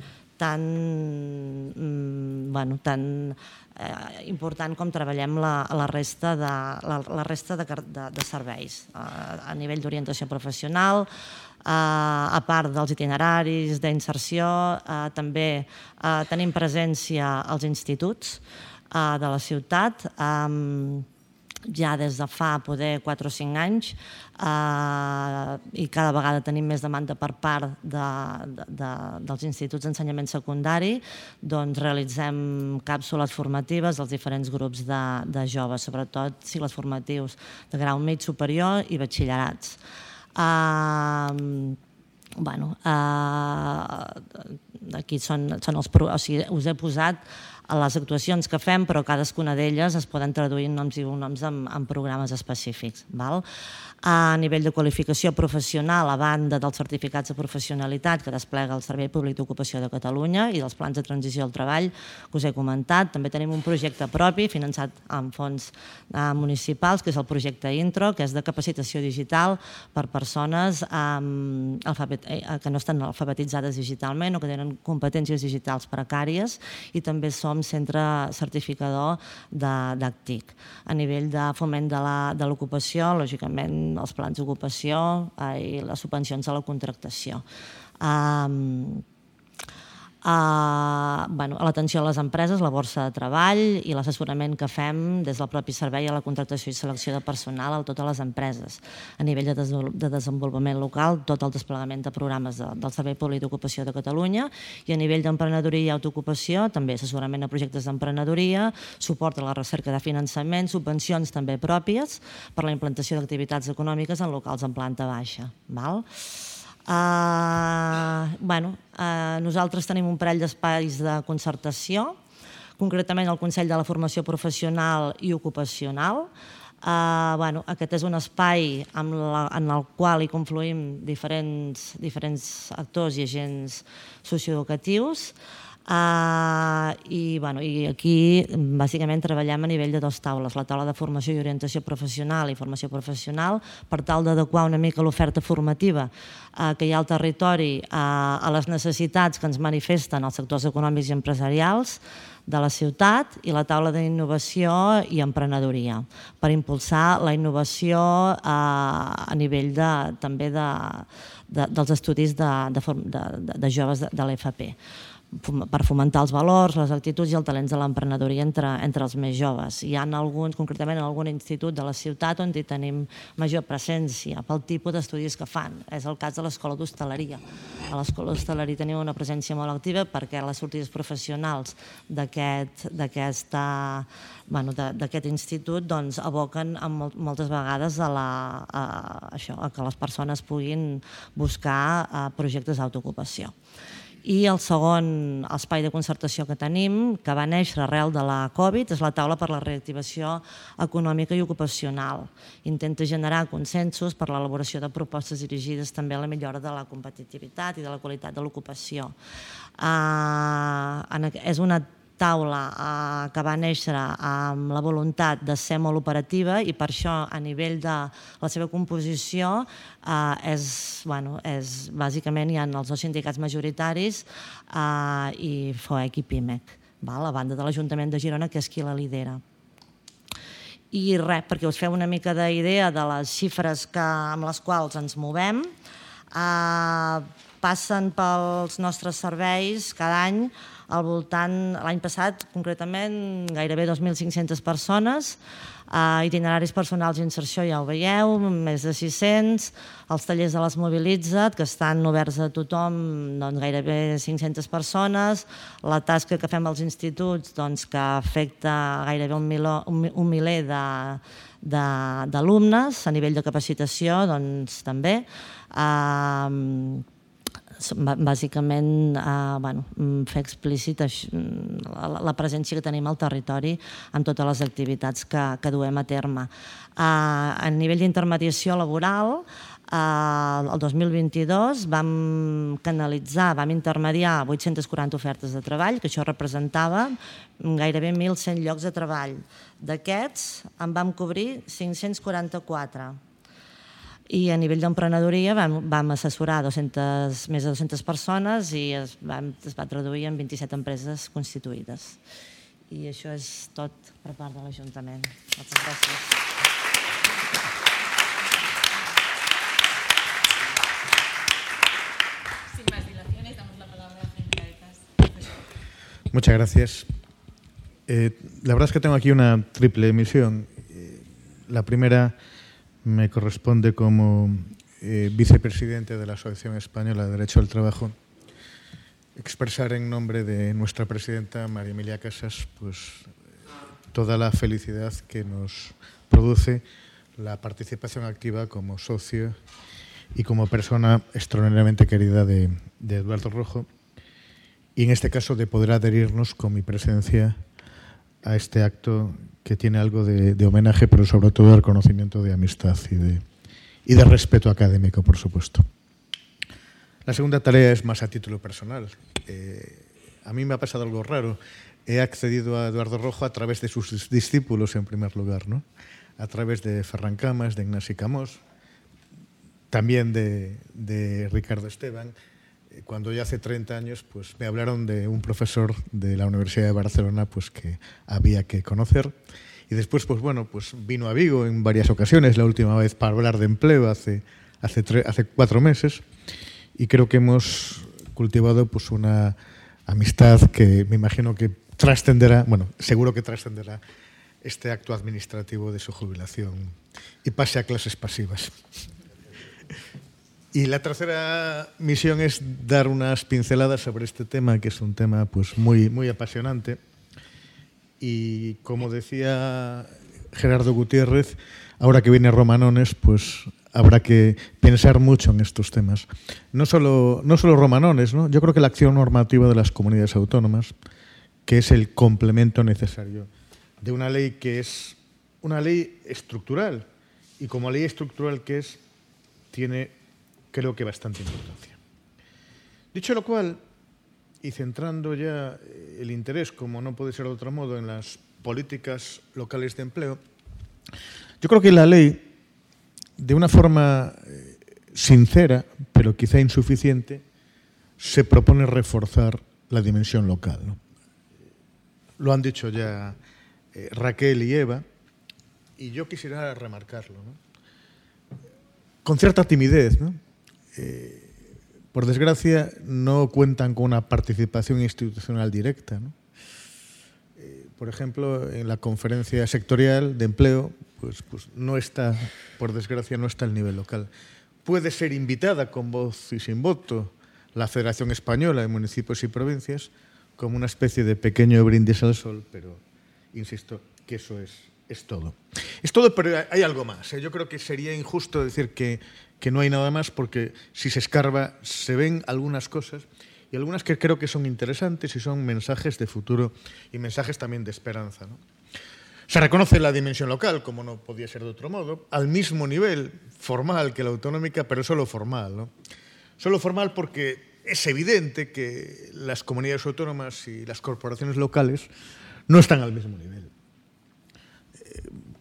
Speaker 3: important com treballem la resta de serveis a nivell d'orientació professional, a part dels itineraris d'inserció. També tenim presència als instituts de la ciutat ja des de fa poder 4 o 5 anys i cada vegada tenim més demanda per part dels instituts d'ensenyament secundari. Doncs realitzem càpsules formatives als diferents grups de joves, sobretot cicles formatius de grau mig superior i batxillerats. Aquí us he posat les actuacions que fem, però cadascuna d'elles es poden traduir en noms i cognoms en programes específics. A nivell de qualificació professional, a banda dels certificats de professionalitat que desplega el Servei Públic d'Ocupació de Catalunya i dels plans de transició al treball que us he comentat, també tenim un projecte propi finançat amb fons municipals, que és el projecte Intro, que és de capacitació digital per persones que no estan alfabetitzades digitalment o que tenen competències digitals precàries, i també som centre certificador d'ACTIC. A nivell de foment de l'ocupació, lògicament, els plans d'ocupació i les subvencions a la contractació. L'atenció a les empreses, la borsa de treball i l'assessorament que fem des del propi servei a la contractació i selecció de personal a totes les empreses. A nivell de desenvolupament local, tot el desplegament de programes del Servei Públic d'Ocupació de Catalunya, i a nivell d'emprenedoria i autoocupació, també assessorament a projectes d'emprenedoria, suport a la recerca de finançament, subvencions també pròpies per la implantació d'activitats econòmiques en locals en planta baixa. Nosaltres tenim un parell d'espais de concertació, concretament el Consell de la Formació Professional i Ocupacional. Aquest és un espai en el qual hi confluïm diferents actors i agents socioeducatius. I aquí bàsicament treballem a nivell de dues taules, la taula de formació i orientació professional i formació professional, per tal d'adequar una mica l'oferta formativa que hi ha al territori a les necessitats que ens manifesten els sectors econòmics i empresarials de la ciutat, i la taula d'innovació i emprenedoria, per impulsar la innovació a nivell també dels estudis de joves de l'FP, per fomentar els valors, les actituds i els talents de l'emprenedoria entre els més joves. Hi ha alguns, concretament en algun institut de la ciutat, on hi tenim major presència pel tipus d'estudis que fan. És el cas de l'Escola d'Hostaleria. A l'Escola d'Hostaleria tenim una presència molt activa perquè les sortides professionals d'aquest institut aboquen moltes vegades a que les persones puguin buscar projectes d'autoocupació. I el segon espai de concertació que tenim, que va néixer arrel de la Covid, és la taula per la reactivació econòmica i ocupacional. Intenta generar consensos per l'elaboració de propostes dirigides també a la millora de la competitivitat i de la qualitat de l'ocupació. És una taula que va néixer amb la voluntat de ser molt operativa, i per això a nivell de la seva composició bàsicament hi ha els dos sindicats majoritaris i FOEC i PIMEC, a banda de l'Ajuntament de Girona, que és qui la lidera. I res, perquè us feu una mica d'idea de les xifres amb les quals ens movem, passen pels nostres serveis cada any al voltant, l'any passat concretament, gairebé 2.500 persones, itineraris personals i inserció ja ho veieu, més de 600, els tallers de les Mobilitza't, que estan oberts a tothom, gairebé 500 persones, la tasca que fem als instituts, que afecta gairebé un miler d'alumnes, a nivell de capacitació també, bàsicament fer explícit la presència que tenim al territori en totes les activitats que duem a terme. A nivell d'intermediació laboral, el 2022 vam intermediar 840 ofertes de treball, que això representava gairebé 1.100 llocs de treball. D'aquests en vam cobrir 544. I a nivell d'emprenedoria vam assessorar més de 200 persones i es va traduir en 27 empreses constituïdes. I això és tot per part de l'Ajuntament. Moltes gràcies.
Speaker 1: Sin más dilaciones, damos la palabra a Jaime Caecas.
Speaker 4: Muchas gracias. La verdad es que tengo aquí una triple misión. La primera me corresponde como vicepresidente de la Asociación Española de Derecho al Trabajo expresar en nombre de nuestra presidenta María Emilia Casas toda la felicidad que nos produce la participación activa como socio y como persona extraordinariamente querida de Eduardo Rojo, y en este caso de poder adherirnos con mi presencia a este acto que tiene algo de homenaje, pero sobre todo de reconocimiento de amistad y de respeto académico, por supuesto. La segunda tarea es más a título personal. A mí me ha pasado algo raro. He accedido a Eduardo Rojo a través de sus discípulos, en primer lugar, ¿no? A través de Ferran Camas, de Ignasi Camós, también de Ricardo Esteban. Cuando ya hace 30 años me hablaron de un profesor de la Universidad de Barcelona que había que conocer. Y después vino a Vigo en varias ocasiones, la última vez para hablar de empleo hace 4 meses. Y creo que hemos cultivado una amistad que me imagino que trascenderá, seguro que trascenderá este acto administrativo de su jubilación y pase a clases pasivas. Y la tercera misión es dar unas pinceladas sobre este tema, que es un tema muy, muy apasionante. Y como decía Gerardo Gutiérrez, ahora que viene Romanones, habrá que pensar mucho en estos temas. No solo Romanones, ¿no? Yo creo que la acción normativa de las comunidades autónomas, que es el complemento necesario de una ley que es una ley estructural, y como ley estructural que es, tiene, creo que, bastante importancia. Dicho lo cual, y centrando ya el interés, como no puede ser de otro modo, en las políticas locales de empleo, yo creo que la ley, de una forma sincera, pero quizá insuficiente, se propone reforzar la dimensión local, ¿no? Lo han dicho ya Raquel y Eva, y yo quisiera remarcarlo, ¿no? Con cierta timidez, ¿no? Por desgracia, no cuentan con una participación institucional directa, ¿no? Por ejemplo, en la conferencia sectorial de empleo, pues no está, por desgracia, no está el nivel local. Puede ser invitada con voz y sin voto la Federación Española de Municipios y Provincias como una especie de pequeño brindis al sol, pero insisto que eso es todo. Es todo, pero hay algo más. Yo creo que sería injusto decir que no hay nada más, porque si se escarba se ven algunas cosas, y algunas que creo que son interesantes y son mensajes de futuro y mensajes también de esperanza, ¿no? Se reconoce la dimensión local, como no podía ser de otro modo, al mismo nivel formal que la autonómica, pero solo formal, ¿no? Solo formal porque es evidente que las comunidades autónomas y las corporaciones locales no están al mismo nivel.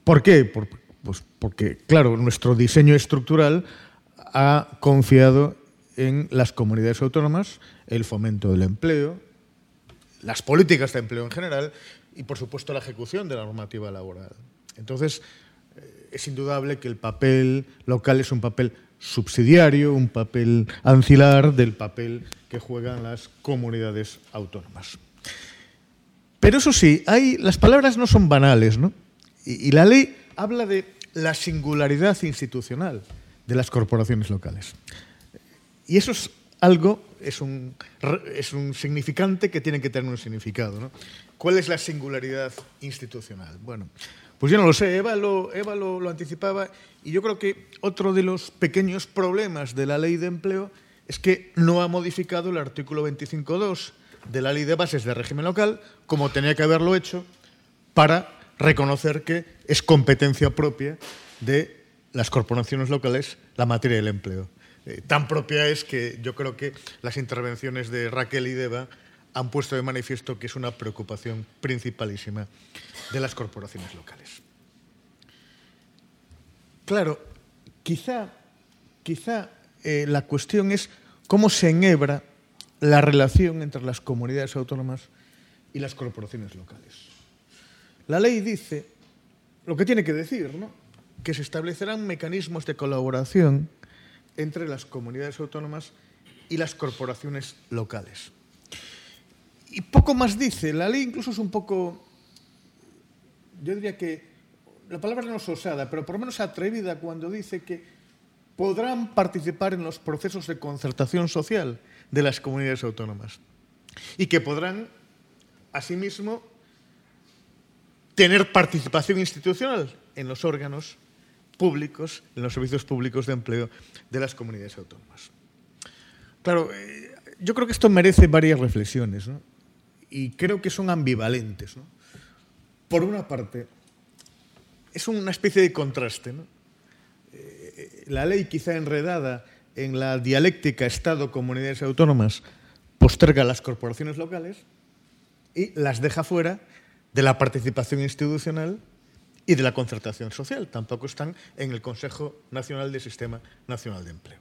Speaker 4: ¿Por qué? Pues porque, claro, nuestro diseño estructural ha confiado en las comunidades autónomas el fomento del empleo, las políticas de empleo en general y, por supuesto, la ejecución de la normativa laboral. Entonces, es indudable que el papel local es un papel subsidiario, un papel ancilar del papel que juegan las comunidades autónomas. Pero eso sí, las palabras no son banales, ¿no? Y la ley habla de la singularidad institucional de las corporaciones locales. Y eso es algo, es un significante que tiene que tener un significado, ¿no? ¿Cuál es la singularidad institucional? Bueno, pues yo no lo sé, Eva lo anticipaba, y yo creo que otro de los pequeños problemas de la Ley de Empleo es que no ha modificado el artículo 25.2 de la Ley de Bases de Régimen Local, como tenía que haberlo hecho para reconocer que es competencia propia de las corporaciones locales la materia del empleo. Tan propia es que yo creo que las intervenciones de Raquel y de Eva han puesto de manifiesto que es una preocupación principalísima de las corporaciones locales. Claro, quizá la cuestión es cómo se enhebra la relación entre las comunidades autónomas y las corporaciones locales. La ley dice lo que tiene que decir, ¿no? Que se establecerán mecanismos de colaboración entre las comunidades autónomas y las corporaciones locales. Y poco más dice. La ley incluso es un poco, yo diría que, la palabra no es osada, pero por lo menos atrevida cuando dice que podrán participar en los procesos de concertación social de las comunidades autónomas y que podrán, asimismo, tener participación institucional en los órganos públicos, en los servicios públicos de empleo de las comunidades autónomas. Claro, yo creo que esto merece varias reflexiones, ¿no? Y creo que son ambivalentes, ¿no? Por una parte, es una especie de contraste, ¿no? La ley, quizá enredada en la dialéctica Estado-comunidades autónomas, posterga a las corporaciones locales y las deja fuera de la participación institucional y de la concertación social. Tampoco están en el Consejo Nacional del Sistema Nacional de Empleo.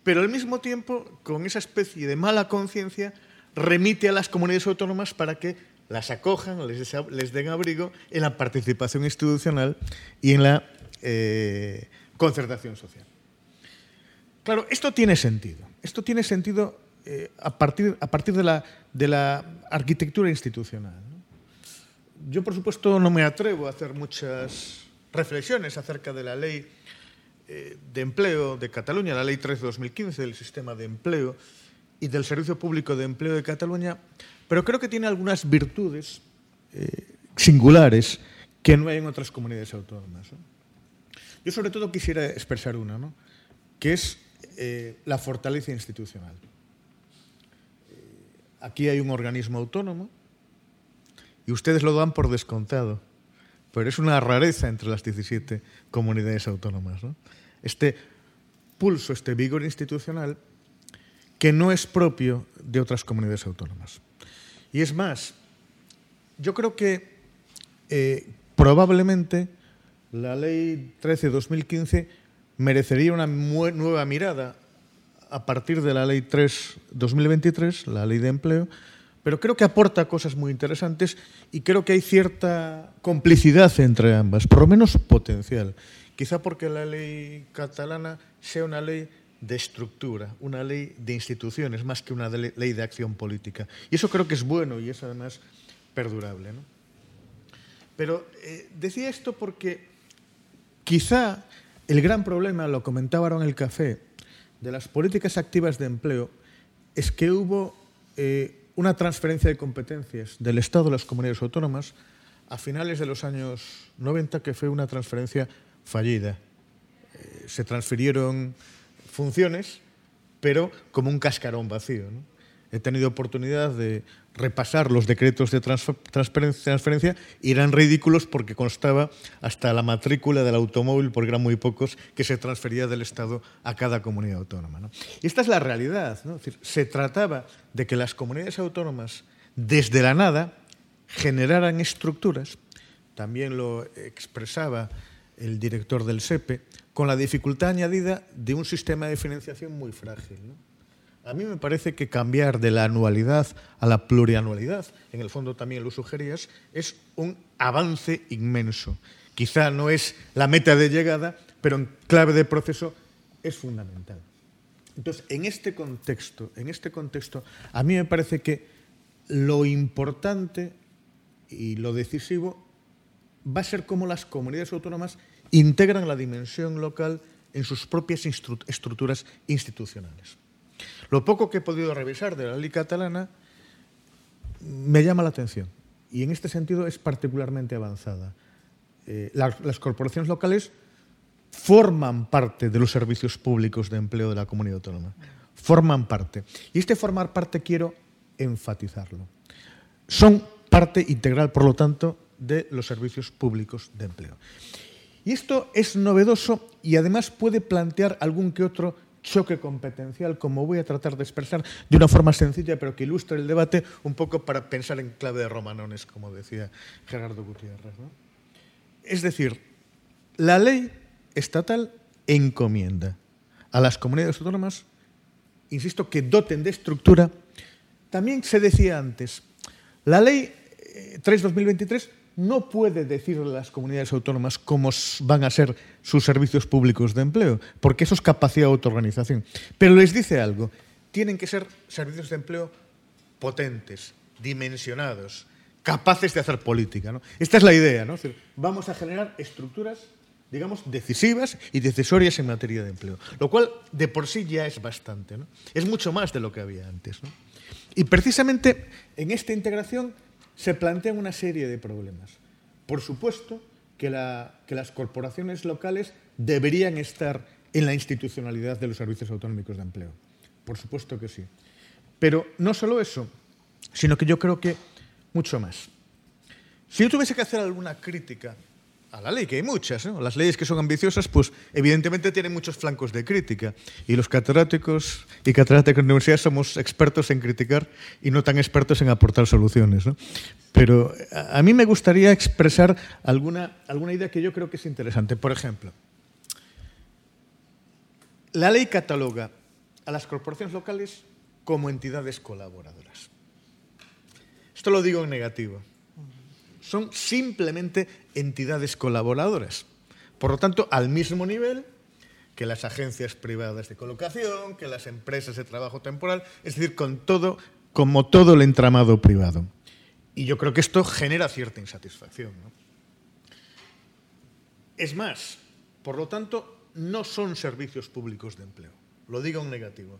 Speaker 4: Pero al mismo tiempo, con esa especie de mala conciencia, remite a las comunidades autónomas para que las acojan, les den abrigo en la participación institucional y en la concertación social. Claro, esto tiene sentido. Esto tiene sentido a partir de la arquitectura institucional, ¿no? Yo, por supuesto, no me atrevo a hacer muchas reflexiones acerca de la ley de empleo de Cataluña, la ley 3 de 2015 del sistema de empleo y del Servicio Público de Empleo de Cataluña, pero creo que tiene algunas virtudes singulares que no hay en otras comunidades autónomas, ¿no? Yo, sobre todo, quisiera expresar una, ¿no? Que es la fortaleza institucional. Aquí hay un organismo autónomo y ustedes lo dan por descontado, pero es una rareza entre las 17 comunidades autónomas, ¿no? Este pulso, este vigor institucional que no es propio de otras comunidades autónomas. Y es más, yo creo que probablemente la Ley 13/2015 merecería una nueva mirada a partir de la Ley 3/2023, la Ley de Empleo, pero creo que aporta cosas muy interesantes y creo que hay cierta complicidad entre ambas, por lo menos potencial. Quizá porque la ley catalana sea una ley de estructura, una ley de instituciones, más que una ley de acción política. Y eso creo que es bueno y es además perdurable, ¿no? Pero decía esto porque quizá el gran problema, lo comentaba ahora en el café, de las políticas activas de empleo es que hubo una transferencia de competencias del Estado a las comunidades autónomas a finales de los años 90, que fue una transferencia fallida. Se transfirieron funciones, pero como un cascarón vacío, ¿no? He tenido oportunidad de repasar los decretos de transferencia y eran ridículos porque constaba hasta la matrícula del automóvil, porque eran muy pocos, que se transfería del Estado a cada comunidad autónoma, ¿no? Y esta es la realidad, ¿no? Es decir, se trataba de que las comunidades autónomas, desde la nada, generaran estructuras. También lo expresaba el director del SEPE, con la dificultad añadida de un sistema de financiación muy frágil, ¿no? A mí me parece que cambiar de la anualidad a la plurianualidad, en el fondo también lo sugerías, es un avance inmenso. Quizá no es la meta de llegada, pero en clave de proceso es fundamental. Entonces, en este contexto, a mí me parece que lo importante y lo decisivo va a ser cómo las comunidades autónomas integran la dimensión local en sus propias estructuras institucionales. Lo poco que he podido revisar de la ley catalana me llama la atención y en este sentido es particularmente avanzada. Las corporaciones locales forman parte de los servicios públicos de empleo de la comunidad autónoma. Forman parte. Y este formar parte quiero enfatizarlo. Son parte integral, por lo tanto, de los servicios públicos de empleo. Y esto es novedoso y además puede plantear algún que otro choque competencial, como voy a tratar de expresar de una forma sencilla, pero que ilustre el debate un poco para pensar en clave de romanones, como decía Gerardo Gutiérrez, ¿no? Es decir, la ley estatal encomienda a las comunidades autónomas, insisto, que doten de estructura. También se decía antes, la ley 3/2023 no puede decirle a las comunidades autónomas cómo van a ser sus servicios públicos de empleo, porque eso es capacidad de autoorganización. Pero les dice algo, tienen que ser servicios de empleo potentes, dimensionados, capaces de hacer política, ¿no? Esta es la idea, ¿no? Es decir, vamos a generar estructuras, digamos, decisivas y decisorias en materia de empleo, lo cual de por sí ya es bastante, ¿no? Es mucho más de lo que había antes, ¿no? Y precisamente en esta integración se plantean una serie de problemas. Por supuesto que las corporaciones locales deberían estar en la institucionalidad de los servicios autonómicos de empleo. Por supuesto que sí. Pero no solo eso, sino que yo creo que mucho más. Si yo tuviese que hacer alguna crítica a la ley, que hay muchas, ¿no? Las leyes que son ambiciosas, pues evidentemente tienen muchos flancos de crítica. Y los catedráticos y catedráticas de universidad somos expertos en criticar y no tan expertos en aportar soluciones, ¿no? Pero a mí me gustaría expresar alguna idea que yo creo que es interesante. Por ejemplo, la ley cataloga a las corporaciones locales como entidades colaboradoras. Esto lo digo en negativo. Son simplemente entidades colaboradoras. Por lo tanto, al mismo nivel que las agencias privadas de colocación, que las empresas de trabajo temporal, es decir, como todo el entramado privado. Y yo creo que esto genera cierta insatisfacción, ¿no? Es más, por lo tanto, no son servicios públicos de empleo. Lo digo en negativo.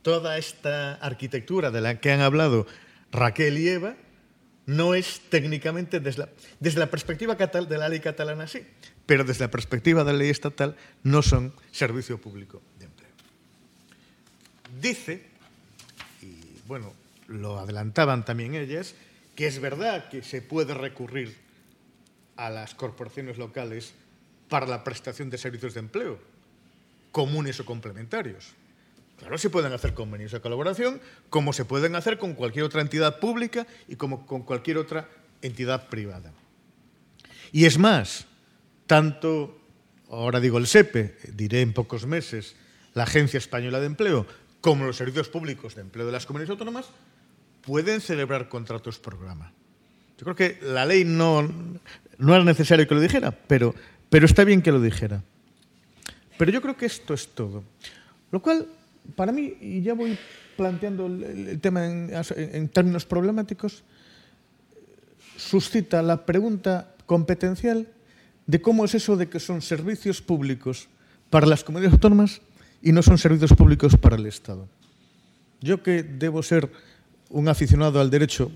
Speaker 4: Toda esta arquitectura de la que han hablado Raquel y Eva no es técnicamente, desde la perspectiva de la ley catalana sí, pero desde la perspectiva de la ley estatal no son servicio público de empleo. Dice, y bueno, lo adelantaban también ellas, que es verdad que se puede recurrir a las corporaciones locales para la prestación de servicios de empleo, comunes o complementarios. Claro, se pueden hacer convenios de colaboración como se pueden hacer con cualquier otra entidad pública y como con cualquier otra entidad privada. Y es más, tanto, ahora digo el SEPE, diré en pocos meses, la Agencia Española de Empleo, como los servicios públicos de empleo de las comunidades autónomas, pueden celebrar contratos programa. Yo creo que la ley no era necesario que lo dijera, pero está bien que lo dijera. Pero yo creo que esto es todo. Lo cual, para mí, y ya voy planteando el tema en términos problemáticos, suscita la pregunta competencial de cómo es eso de que son servicios públicos para las comunidades autónomas y no son servicios públicos para el Estado. Yo, que debo ser un aficionado al derecho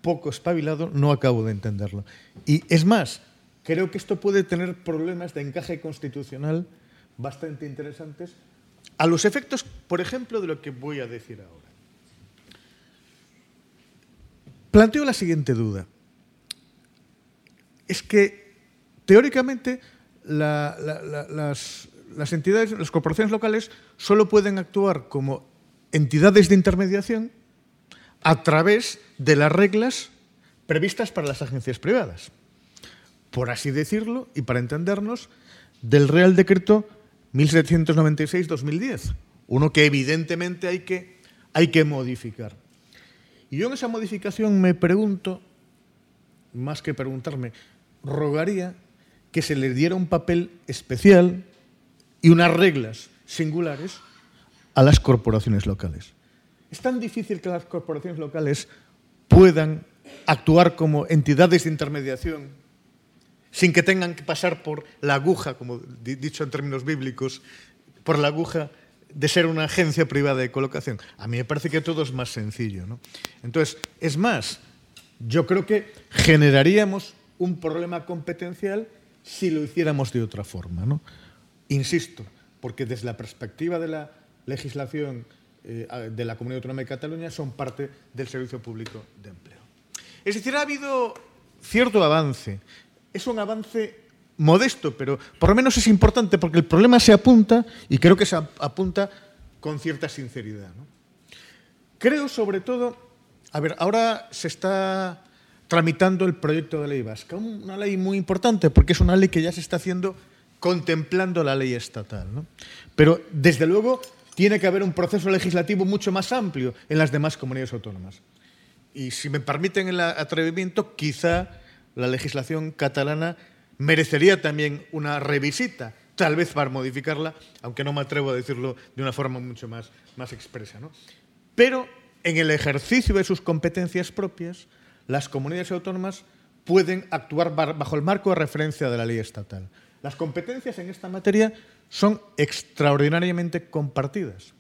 Speaker 4: poco espabilado, no acabo de entenderlo. Y es más, creo que esto puede tener problemas de encaje constitucional bastante interesantes a los efectos, por ejemplo, de lo que voy a decir ahora. Planteo la siguiente duda. Es que, teóricamente, las entidades, las corporaciones locales, solo pueden actuar como entidades de intermediación a través de las reglas previstas para las agencias privadas. Por así decirlo, y para entendernos, del Real Decreto 1796-2010, uno que evidentemente hay que modificar. Y yo en esa modificación me pregunto, más que preguntarme, rogaría que se les diera un papel especial y unas reglas singulares a las corporaciones locales. Es tan difícil que las corporaciones locales puedan actuar como entidades de intermediación sin que tengan que pasar por la aguja, como dicho en términos bíblicos, por la aguja de ser una agencia privada de colocación. A mí me parece que todo es más sencillo, ¿no? Entonces, es más, yo creo que generaríamos un problema competencial si lo hiciéramos de otra forma, ¿no? Insisto, porque desde la perspectiva de la legislación de la Comunidad Autónoma de Cataluña son parte del Servicio Público de Empleo. Es decir, ha habido cierto avance. Es un avance modesto, pero por lo menos es importante porque el problema se apunta y creo que se apunta con cierta sinceridad, ¿no? Creo, sobre todo, a ver, ahora se está tramitando el proyecto de ley vasca, una ley muy importante porque es una ley que ya se está haciendo contemplando la ley estatal, ¿no? Pero, desde luego, tiene que haber un proceso legislativo mucho más amplio en las demás comunidades autónomas. Y, si me permiten el atrevimiento, quizá la legislación catalana merecería también una revisita, tal vez para modificarla, aunque no me atrevo a decirlo de una forma mucho más expresa, ¿no? Pero, en el ejercicio de sus competencias propias, las comunidades autónomas pueden actuar bajo el marco de referencia de la ley estatal. Las competencias en esta materia son extraordinariamente compartidas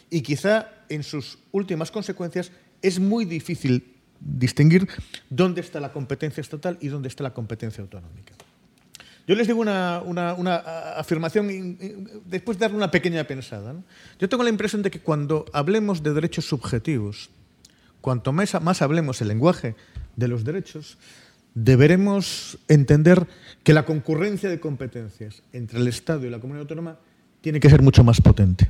Speaker 4: y quizá en sus últimas consecuencias es muy difícil distinguir dónde está la competencia estatal y dónde está la competencia autonómica. Yo les digo una afirmación después de darle una pequeña pensada, ¿no? Yo tengo la impresión de que cuando hablemos de derechos subjetivos, cuanto más hablemos el lenguaje de los derechos, deberemos entender que la concurrencia de competencias entre el Estado y la comunidad autónoma tiene que ser mucho más potente.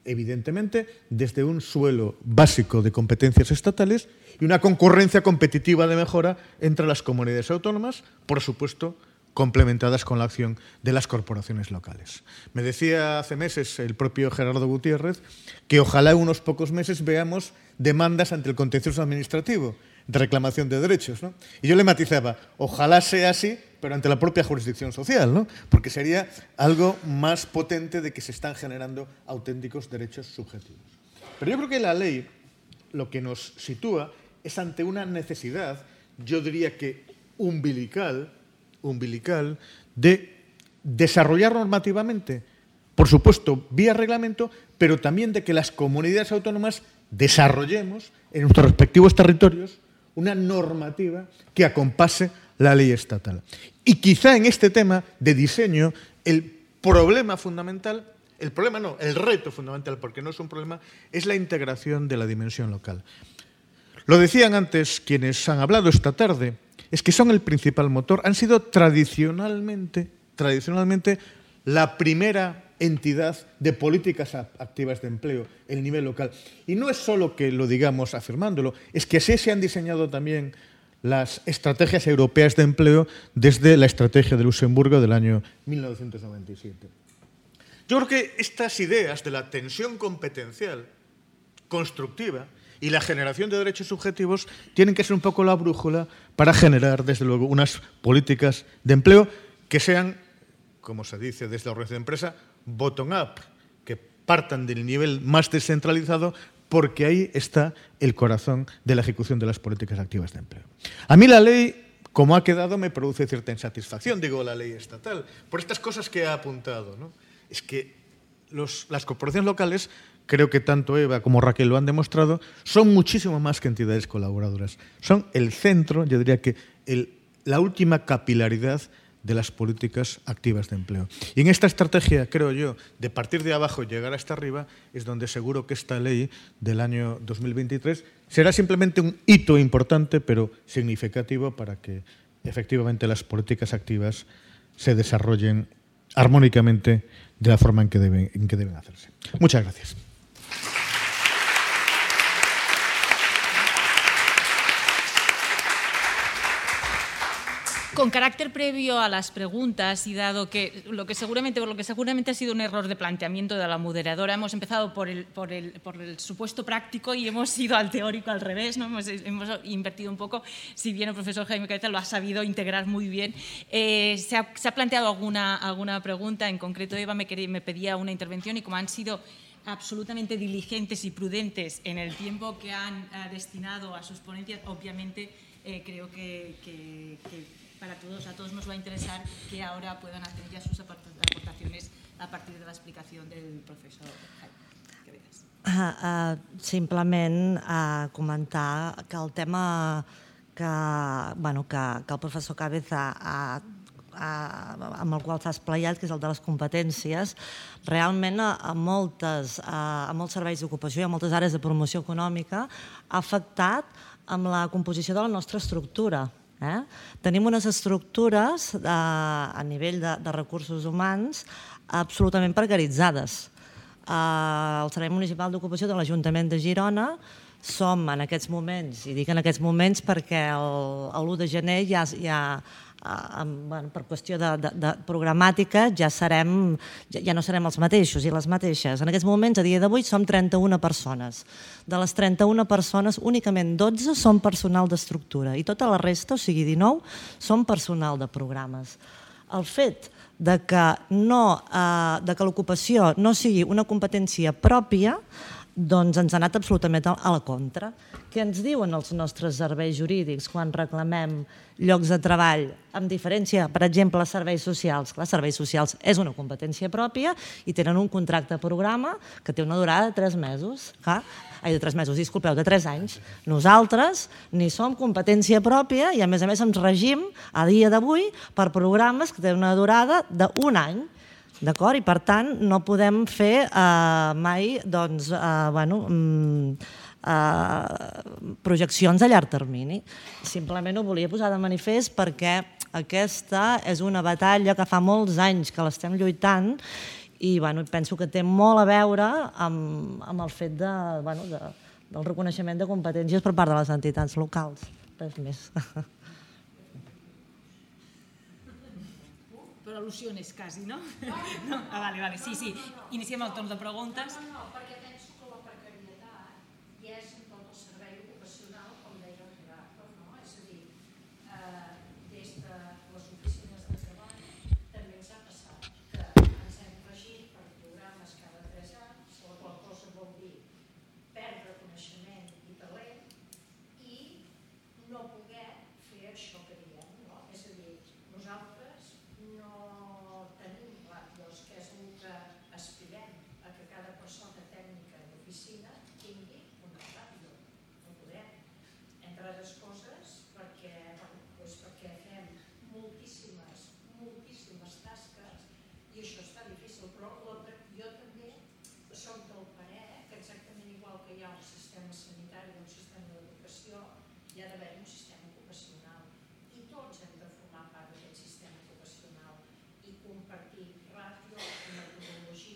Speaker 4: Evidentemente, desde un suelo básico de competencias estatales y una concurrencia competitiva de mejora entre las comunidades autónomas, por supuesto, complementadas con la acción de las corporaciones locales. Me decía hace meses el propio Gerardo Gutiérrez que ojalá en unos pocos meses veamos demandas ante el contencioso administrativo de reclamación de derechos, ¿no? Y yo le matizaba, ojalá sea así, pero ante la propia jurisdicción social, ¿no? Porque sería algo más potente de que se están generando auténticos derechos subjetivos. Pero yo creo que la ley lo que nos sitúa es ante una necesidad, yo diría que umbilical, de desarrollar normativamente, por supuesto, vía reglamento, pero también de que las comunidades autónomas desarrollemos en nuestros respectivos territorios una normativa que acompase la ley estatal. Y quizá en este tema de diseño, el reto fundamental, porque no es un problema, es la integración de la dimensión local. Lo decían antes quienes han hablado esta tarde, es que son el principal motor, han sido tradicionalmente la primera entidad de políticas activas de empleo, el nivel local. Y no es solo que lo digamos afirmándolo, es que así se han diseñado también las estrategias europeas de empleo desde la estrategia de Luxemburgo del año 1997. Yo creo que estas ideas de la tensión competencial constructiva y la generación de derechos subjetivos tienen que ser un poco la brújula para generar, desde luego, unas políticas de empleo que sean, como se dice desde la organización de empresa, bottom-up, que partan del nivel más descentralizado, porque ahí está el corazón de la ejecución de las políticas activas de empleo. A mí la ley, como ha quedado, me produce cierta insatisfacción, digo la ley estatal, por estas cosas que ha apuntado, ¿no? Es que las corporaciones locales, creo que tanto Eva como Raquel lo han demostrado, son muchísimo más que entidades colaboradoras. Son el centro, yo diría que la última capilaridad de las políticas activas de empleo. Y en esta estrategia, creo yo, de partir de abajo y llegar hasta arriba, es donde seguro que esta ley del año 2023 será simplemente un hito importante, pero significativo para que efectivamente las políticas activas se desarrollen armónicamente de la forma en que deben hacerse. Muchas gracias.
Speaker 1: Con carácter previo a las preguntas y dado que por lo que seguramente ha sido un error de planteamiento de la moderadora, hemos empezado por el supuesto práctico y hemos ido al teórico al revés, ¿no? Hemos invertido un poco, si bien el profesor Jaime Cabeza lo ha sabido integrar muy bien. Se ha planteado alguna pregunta, en concreto Eva me pedía una intervención y como han sido absolutamente diligentes y prudentes en el tiempo que han destinado a sus ponencias, obviamente creo que a todos nos va a interesar que ahora puedan hacer ya sus aportaciones a partir de la explicación del profesor Cabezas.
Speaker 3: Simplement comentar que el tema que el professor Cabeza amb el qual s'ha esplayat, que és el de les competències, realment a molts serveis d'ocupació i a moltes àrees de promoció econòmica ha afectat amb la composició de la nostra estructura. Tenim unes estructures a nivell de recursos humans absolutament precaritzades. El Servei Municipal d'Ocupació de l'Ajuntament de Girona som en aquests moments, i dic en aquests moments perquè l'1 de gener ja per qüestió de programàtica ja no serem els mateixos i les mateixes. En aquests moments, a dia d'avui, som 31 persones. De les 31 persones, únicament 12 són personal d'estructura i tota la resta, o sigui 19, són personal de programes. El fet que l'ocupació no sigui una competència pròpia doncs ens ha anat absolutament a la contra. Què ens diuen els nostres serveis jurídics quan reclamem llocs de treball, amb diferència, per exemple, a serveis socials? Clar, serveis socials és una competència pròpia i tenen un contracte programa que té una durada de 3 mesos. De 3 mesos, disculpeu, de 3 anys. Nosaltres ni som competència pròpia i a més ens regim a dia d'avui per programes que tenen una durada d'1 any. D'acord? I per tant no podem fer mai projeccions a llarg termini. Simplement ho volia posar de manifest perquè aquesta és una batalla que fa molts anys que l'estem lluitant i penso que té molt a veure amb el fet del reconeixement de competències per part de les entitats locals. Res més.
Speaker 1: Però al·lusiones, quasi, no? No? Vale, sí. Iniciem el torn de preguntes.
Speaker 5: No, perquè penso que la precarietat hi és en tot el servei ocupacional, com deia el Gerardo, no? És a dir, des de les oficines de treball també ens ha passat que ens hem regit per programes cada 3 anys, la qual cosa vol dir perdre coneixement i talent i no poder fer això que diem, no? És a dir, nosaltres no tenim clar, que és el que aspirem a que cada persona tècnica d'oficina tingui una ràdio. No podem. Entre altres coses, perquè fem moltíssimes tasques i això està difícil, però jo també soc del parer que exactament igual que hi ha un sistema sanitari i un sistema d'educació, hi ha d'haver un sistema ocupacional i tots hem de formar part d'aquest sistema ocupacional i compartir ràdio, metodologia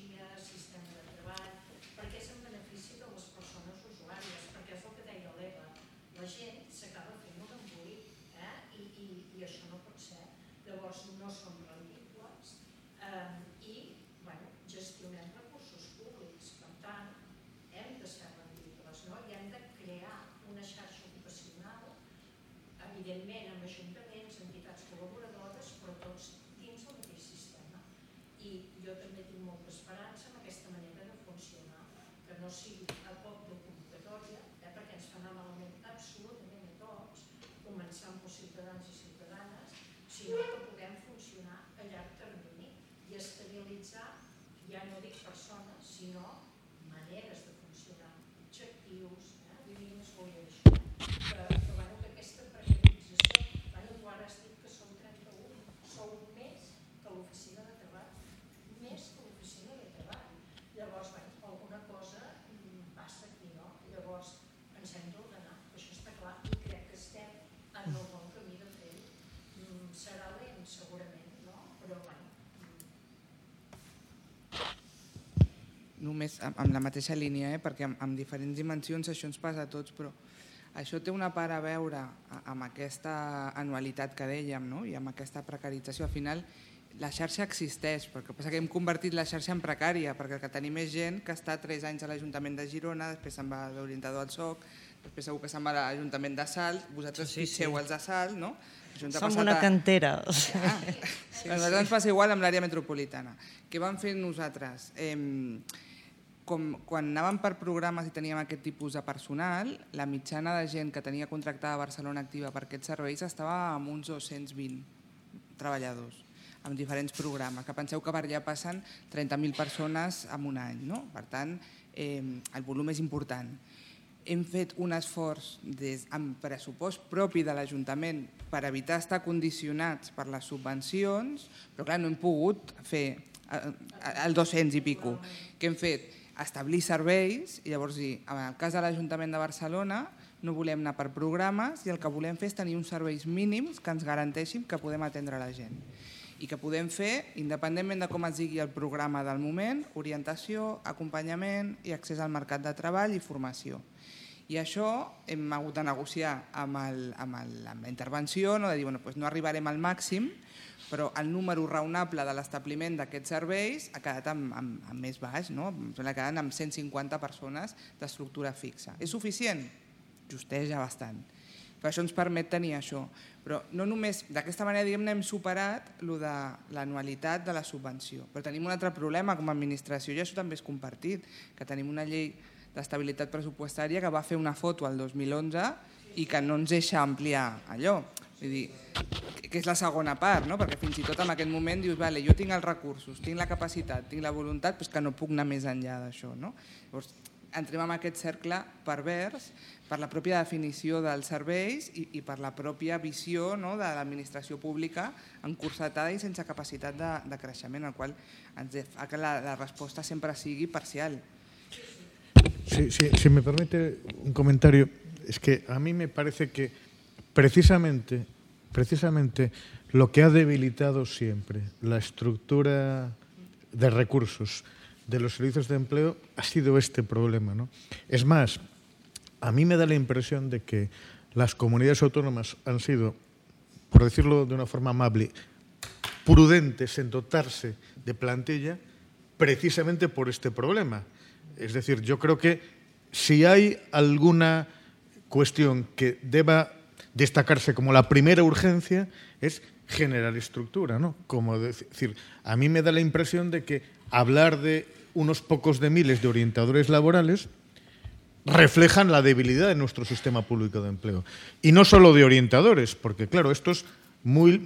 Speaker 5: sinó que puguem funcionar a llarg termini i estabilitzar, ja no dic persones, sinó maneres de funcionar, objectius, línies, vull dir això, que aquesta precarització, tu ara has dit que són 31, sou més que l'oficina de treball, més que l'oficina de treball. Llavors, alguna cosa passa aquí, no? Llavors, ens hem d'ordenar, això està clar, i crec que estem en el bon camí de fer-ho. Serà lent, segurament, no? Però,
Speaker 2: Només amb la mateixa línia, perquè amb diferents dimensions això ens passa a tots, però això té una part a veure amb aquesta anualitat que dèiem, no? I amb aquesta precarització. Al final, la xarxa existeix, perquè passa que hem convertit la xarxa en precària, perquè el que tenim és gent que està 3 anys a l'Ajuntament de Girona, després se'n va d'orientador al SOC, després segur que se'n va a l'Ajuntament de Salt, vosaltres fixeu els de Salt, no?
Speaker 3: Som una cantera.
Speaker 2: A nosaltres ens passa igual amb l'àrea metropolitana. Què vam fer nosaltres? Quan anàvem per programes i teníem aquest tipus de personal, la mitjana de gent que tenia contractada a Barcelona Activa per aquests serveis estava amb uns 220 treballadors, amb diferents programes, que penseu que per allà passen 30.000 persones en un any, no? Per tant, el volum és important. Hem fet un esforç amb pressupost propi de l'Ajuntament per evitar estar condicionats per les subvencions, però clar, no hem pogut fer el 200 i pico. Què hem fet? Establir serveis i llavors dir, en el cas de l'Ajuntament de Barcelona no volem anar per programes i el que volem fer és tenir uns serveis mínims que ens garanteixin que podem atendre la gent i que podem fer, independentment de com es digui el programa del moment, orientació, acompanyament i accés al mercat de treball i formació. I això hem hagut de negociar amb la intervenció, de dir, no arribarem al màxim, però el número raonable de l'establiment d'aquests serveis ha quedat amb més baix, no? Ha quedat amb 150 persones d'estructura fixa. És suficient? Justeja bastant. Però això ens permet tenir això. Però no només, d'aquesta manera, diguem-ne, hem superat l'anualitat de la subvenció. Però tenim un altre problema com a administració, i això també és compartit, que tenim una llei d'estabilitat pressupostària que va fer una foto el 2011 i que no ens deixa ampliar allò. Vull dir, que és la segona part, no? Perquè fins i tot en aquest moment dius, vale, jo tinc els recursos, tinc la capacitat, tinc la voluntat, però és que no puc anar més enllà d'això, no? Llavors, entrem en aquest cercle pervers per la pròpia definició dels serveis i per la pròpia visió de l'administració pública encursetada i sense capacitat de creixement, el qual ens fa que la resposta sempre sigui parcial.
Speaker 4: Sí, si me permite un comentario, es que a mí me parece que precisamente lo que ha debilitado siempre la estructura de recursos de los servicios de empleo ha sido este problema, ¿no? Es más, a mí me da la impresión de que las comunidades autónomas han sido, por decirlo de una forma amable, prudentes en dotarse de plantilla precisamente por este problema. Es decir, yo creo que si hay alguna cuestión que deba destacarse como la primera urgencia es generar estructura, ¿no? Como decir, a mí me da la impresión de que hablar de unos pocos de miles de orientadores laborales reflejan la debilidad de nuestro sistema público de empleo. Y no solo de orientadores, porque claro, esto es muy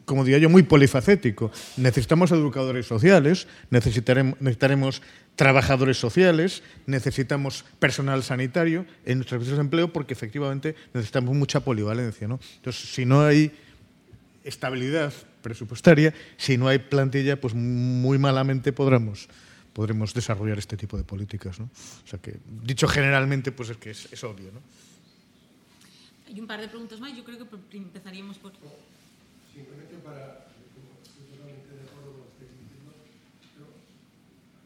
Speaker 4: como diría yo, muy polifacético. Necesitamos educadores sociales, necesitaremos trabajadores sociales, necesitamos personal sanitario en nuestros servicios de empleo porque efectivamente necesitamos mucha polivalencia, ¿no? Entonces, si no hay estabilidad presupuestaria, si no hay plantilla, pues muy malamente podremos desarrollar este tipo de políticas, ¿no? O sea que, dicho generalmente, pues es que es obvio, ¿no?
Speaker 1: Hay un par de preguntas más. Yo creo que empezaríamos por...
Speaker 6: Simplemente estoy totalmente de acuerdo con lo que estáis diciendo, pero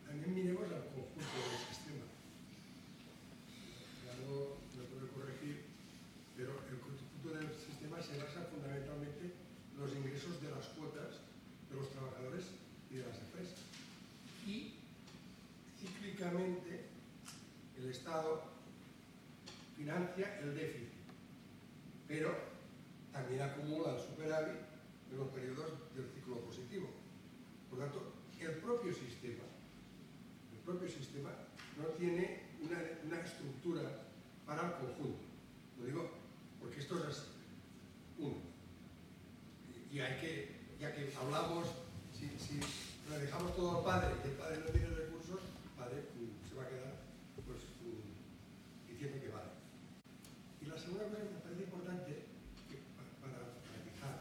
Speaker 6: también miremos al conjunto del sistema. Algo lo puedo corregir, pero el conjunto del sistema se basa fundamentalmente en los ingresos de las cuotas de los trabajadores y de las empresas. Y cíclicamente el Estado financia el déficit, pero también acumula el superávit en los periodos del ciclo positivo. Por tanto, el propio sistema no tiene una estructura para el conjunto. Lo digo porque esto es así. Uno. Y hay que, ya que hablamos, si le dejamos todo al padre y el padre no tiene recursos, el padre se va a quedar pues, diciendo que vale. Y la segunda cosa que me parece importante, para fijar,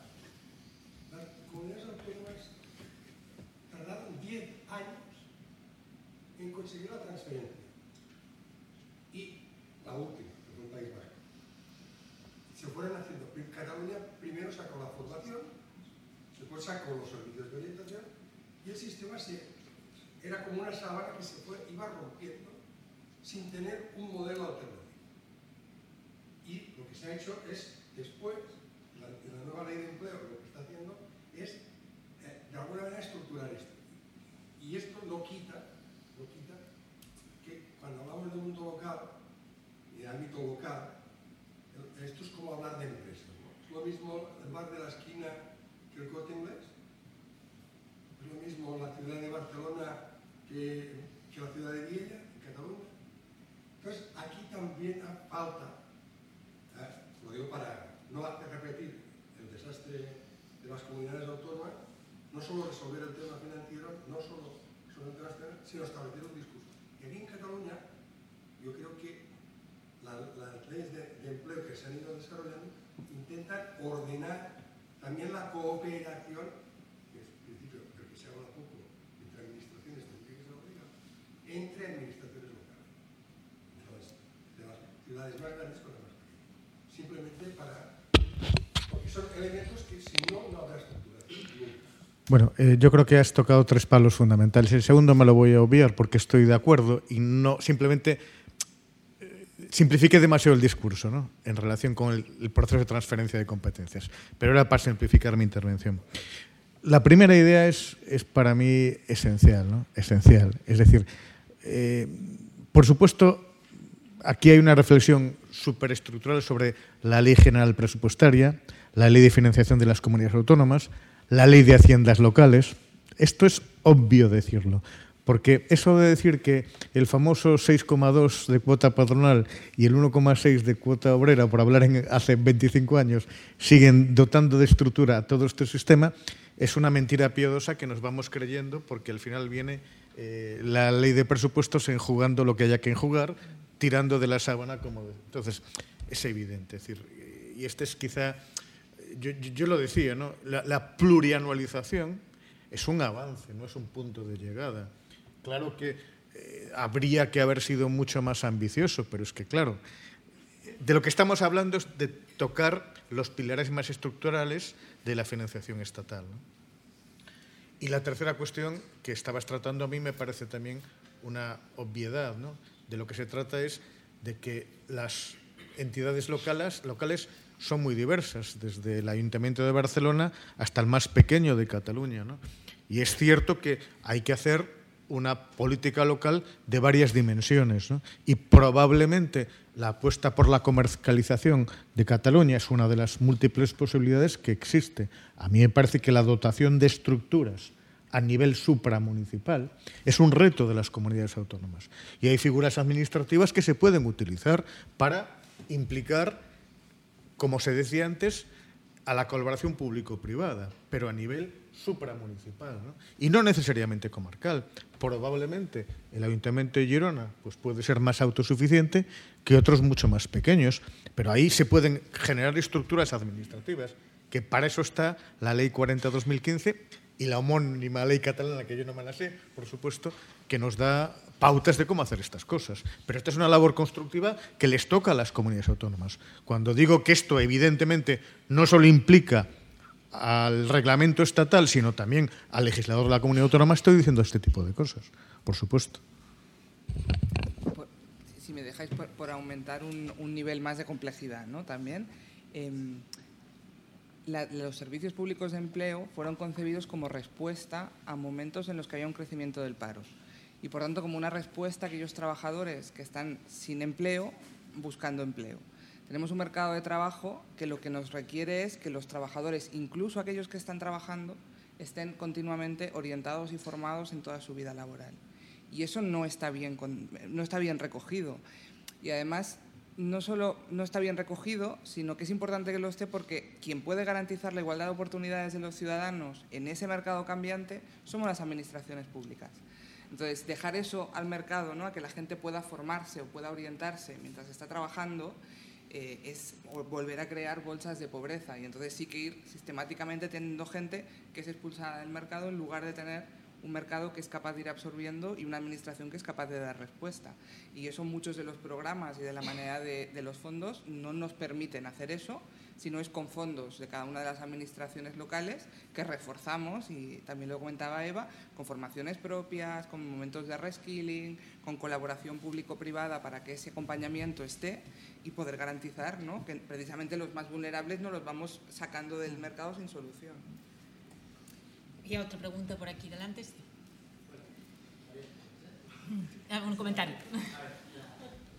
Speaker 6: las comunidades autónomas tardaron 10 años en conseguir la transferencia. Y la última, que fue el País Vasco. Se fueron haciendo. Cataluña primero sacó la formación, después sacó los servicios de orientación y el sistema era como una sábana que iba rompiendo sin tener un modelo alternativo. Y lo que se ha hecho es, después, la nueva ley de empleo lo que está haciendo es, de alguna manera, estructurar esto. Y esto no quita que cuando hablamos del mundo local y de ámbito local, esto es como hablar de empresas, ¿no? Es lo mismo el bar de la esquina que el Corte Inglés, es lo mismo la ciudad de Barcelona que la ciudad de Viella, en Cataluña. Entonces, aquí también falta, lo digo para no hacer repetir el desastre de las comunidades autónomas, no solo resolver el tema financiero, no solo sobre el tema externo, sino establecer un discurso. Y aquí en Cataluña, yo creo que las leyes de empleo que se han ido desarrollando intentan ordenar también la cooperación, que es el principio del que se habla poco entre administraciones, que se obliga, entre administraciones locales, de las ciudades más grandes con las más pequeñas. Simplemente porque son elementos que si no, no habrá estructuración.
Speaker 4: Bueno, yo creo que has tocado 3 palos fundamentales. El segundo me lo voy a obviar porque estoy de acuerdo y no simplemente simplifique demasiado el discurso, ¿no?, en relación con el proceso de transferencia de competencias. Pero era para simplificar mi intervención. La primera idea es para mí esencial, ¿no? Esencial. Es decir, por supuesto, aquí hay una reflexión superestructural sobre la Ley General Presupuestaria, la Ley de Financiación de las Comunidades Autónomas, la Ley de Haciendas Locales. Esto es obvio decirlo. Porque eso de decir que el famoso 6,2 de cuota patronal y el 1,6 de cuota obrera, por hablar hace 25 años, siguen dotando de estructura a todo este sistema, es una mentira piadosa que nos vamos creyendo porque al final viene la ley de presupuestos enjugando lo que haya que enjugar, tirando de la sábana como... Entonces, es evidente. Es decir, y este es quizá... Yo lo decía, ¿no? La plurianualización es un avance, no es un punto de llegada. Claro que habría que haber sido mucho más ambicioso, pero es que, claro, de lo que estamos hablando es de tocar los pilares más estructurales de la financiación estatal, ¿no? Y la tercera cuestión que estabas tratando a mí me parece también una obviedad, ¿no? De lo que se trata es de que las entidades locales son muy diversas, desde el Ayuntamiento de Barcelona hasta el más pequeño de Cataluña, ¿no? Y es cierto que hay que hacer una política local de varias dimensiones, ¿no? Y probablemente la apuesta por la comercialización de Cataluña es una de las múltiples posibilidades que existe. A mí me parece que la dotación de estructuras a nivel supramunicipal es un reto de las comunidades autónomas. Y hay figuras administrativas que se pueden utilizar para implicar, como se decía antes, a la colaboración público-privada, pero a nivel supramunicipal, ¿no? Y no necesariamente comarcal. Probablemente el Ayuntamiento de Girona pues puede ser más autosuficiente que otros mucho más pequeños, pero ahí se pueden generar estructuras administrativas, que para eso está la Ley 40/2015 y la homónima Ley catalana, que yo no me la sé, por supuesto, que nos da pautas de cómo hacer estas cosas. Pero esta es una labor constructiva que les toca a las comunidades autónomas. Cuando digo que esto evidentemente no solo implica al reglamento estatal, sino también al legislador de la comunidad autónoma, estoy diciendo este tipo de cosas, por supuesto.
Speaker 2: Si me dejáis por aumentar un nivel más de complejidad, ¿no? También, los servicios públicos de empleo fueron concebidos como respuesta a momentos en los que había un crecimiento del paro y, por tanto, como una respuesta a aquellos trabajadores que están sin empleo buscando empleo. Tenemos un mercado de trabajo que lo que nos requiere es que los trabajadores, incluso aquellos que están trabajando, estén continuamente orientados y formados en toda su vida laboral. Y eso no está bien recogido. Y además, no solo no está bien recogido, sino que es importante que lo esté porque quien puede garantizar la igualdad de oportunidades de los ciudadanos en ese mercado cambiante somos las administraciones públicas. Entonces, dejar eso al mercado, ¿no?, a que la gente pueda formarse o pueda orientarse mientras está trabajando, es volver a crear bolsas de pobreza. Y entonces sí que ir sistemáticamente teniendo gente que es expulsada del mercado en lugar de tener un mercado que es capaz de ir absorbiendo y una administración que es capaz de dar respuesta. Y eso muchos de los programas y de la manera de los fondos no nos permiten hacer eso, sino es con fondos de cada una de las administraciones locales que reforzamos, y también lo comentaba Eva, con formaciones propias, con momentos de reskilling, con colaboración público-privada para que ese acompañamiento esté y poder garantizar, ¿no?, que precisamente los más vulnerables no los vamos sacando del mercado sin solución.
Speaker 1: Y otra pregunta por aquí delante. Sí. Un comentario.
Speaker 7: La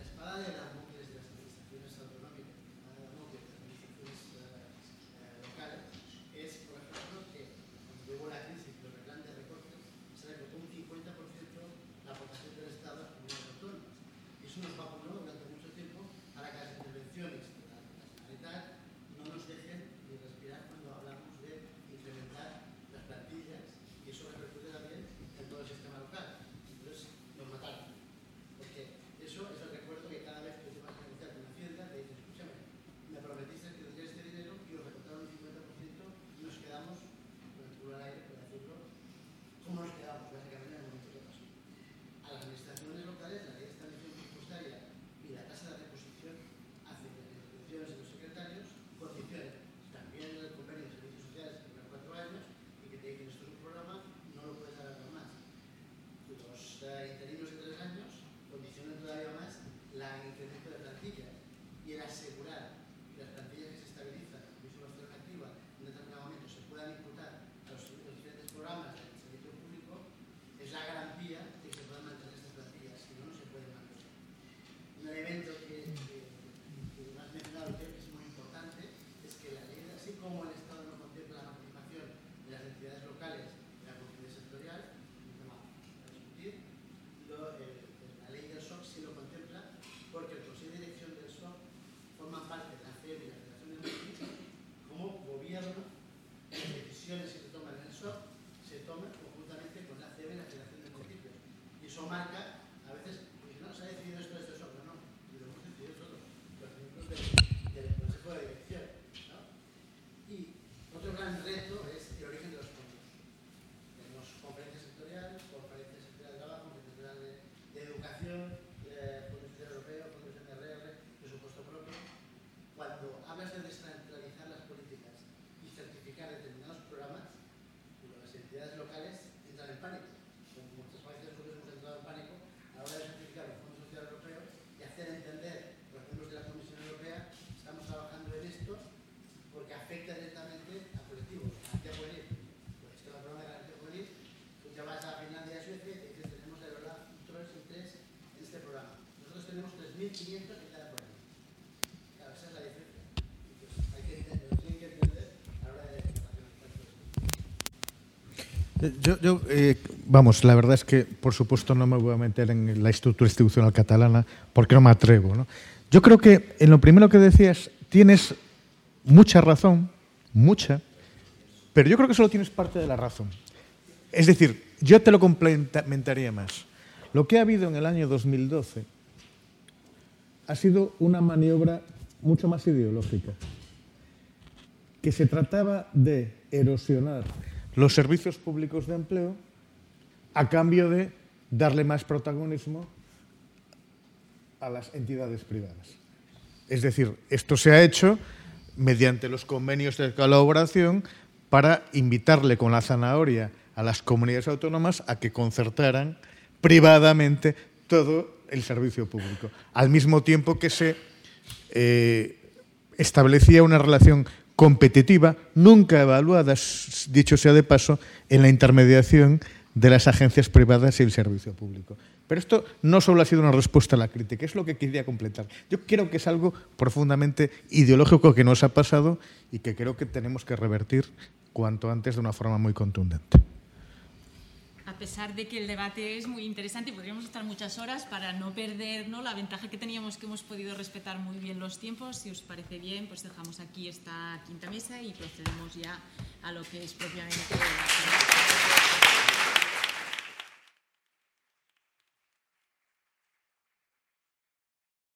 Speaker 7: espada de Damocles de las administraciones autonómicas, la espada de Damocles de las administraciones locales, es, por ejemplo, que cuando llegó la crisis y los planes de recortes, se recortó un 50% la aportación del Estado a las comunidades autónomas. Y eso nos vacunó durante mucho tiempo para que las intervenciones de la Generalitat no nos dejen ni respirar cuando hablamos de incrementar las plantillas, y eso repercute también en todo el sistema local. Entonces nos mataron, porque eso es el recuerdo que cada vez que te vas a negociar con Hacienda te dicen: escúchame, me prometiste que tendrías este dinero y os recortaron un 50% y nos quedamos con el culo al aire, por decirlo, como nos quedamos básicamente en el momento que pasó. A las administraciones locales la ley de estabilización presupuestaria y la tasa de reposición hace que las instituciones y los secretarios condicionen también el convenio de servicios sociales que dura 4 años y que te dicen: esto es un programa, no lo puedes alargar más. Los interinos de 3 años condicionan todavía más el incremento de plantillas, y el asegurar que las plantillas que se estabilizan y su alternativa en determinado momento se puedan imputar a los diferentes programas del servicio público es la garantía de que se puedan mantener estas plantillas, si no, no se pueden mantener. Un elemento que no has mencionado, que es muy importante, es que la ley, así como el Estado no contempla la participación de las entidades locales en la conferencia sectorial, un tema a discutir, la ley del SOC sí lo contempla, porque el Consejo de Dirección del SOC forma parte de la FEB y la Federación de Municipios como gobierno. Las decisiones que se toman en el SOC se toman conjuntamente con la FEB y la Federación de Municipios, y eso marca, a veces, pues no, se ha decidido esto de este SOC, no, y lo hemos decidido todos los miembros del Consejo de Dirección, ¿no? Y otro gran reto es el origen de los fondos. Tenemos conferencias sectoriales, conferencias sectoriales de trabajo, conferencias sectoriales de educación, fondos social europeo, fondos MRR, presupuesto propio. Cuando hablas de descentralizar las políticas y certificar determinados programas, las entidades locales entran en pánico. Como muchas veces nosotros hemos entrado en pánico a la hora de certificar los fondos social europeos y hacer entender a los miembros de la Comisión Europea: estamos trabajando en esto porque afecta directamente a colectivos, a garantía juvenil. Pues esto es el programa de garantía juvenil. Tú te vas a Finlandia y a Suecia y te dicen: tenemos el OLAF 3 en este programa. Nosotros tenemos 3.500 en cada programa. Claro, esa es la diferencia. Entonces, hay que entender, lo tienen que entender a la hora de
Speaker 4: Vamos, la verdad es que, por supuesto, no me voy a meter en la estructura institucional catalana porque no me atrevo, ¿no? Yo creo que en lo primero que decías tienes mucha razón, mucha, pero yo creo que solo tienes parte de la razón. Es decir, yo te lo complementaría más. Lo que ha habido en el año 2012 ha sido una maniobra mucho más ideológica, que se trataba de erosionar los servicios públicos de empleo a cambio de darle más protagonismo a las entidades privadas. Es decir, esto se ha hecho mediante los convenios de colaboración para invitarle con la zanahoria a las comunidades autónomas a que concertaran privadamente todo el servicio público, al mismo tiempo que se establecía una relación competitiva, nunca evaluada, dicho sea de paso, en la intermediación de las agencias privadas y el servicio público. Pero esto no solo ha sido una respuesta a la crítica, es lo que quería completar. Yo creo que es algo profundamente ideológico que nos ha pasado y que creo que tenemos que revertir cuanto antes de una forma muy contundente.
Speaker 1: a pesar de que el debate es muy interesante y podríamos estar muchas horas, para no perder, ¿no?, la ventaja que teníamos, que hemos podido respetar muy bien los tiempos, si os parece bien, pues dejamos aquí esta quinta mesa y procedemos ya a lo que es propiamente la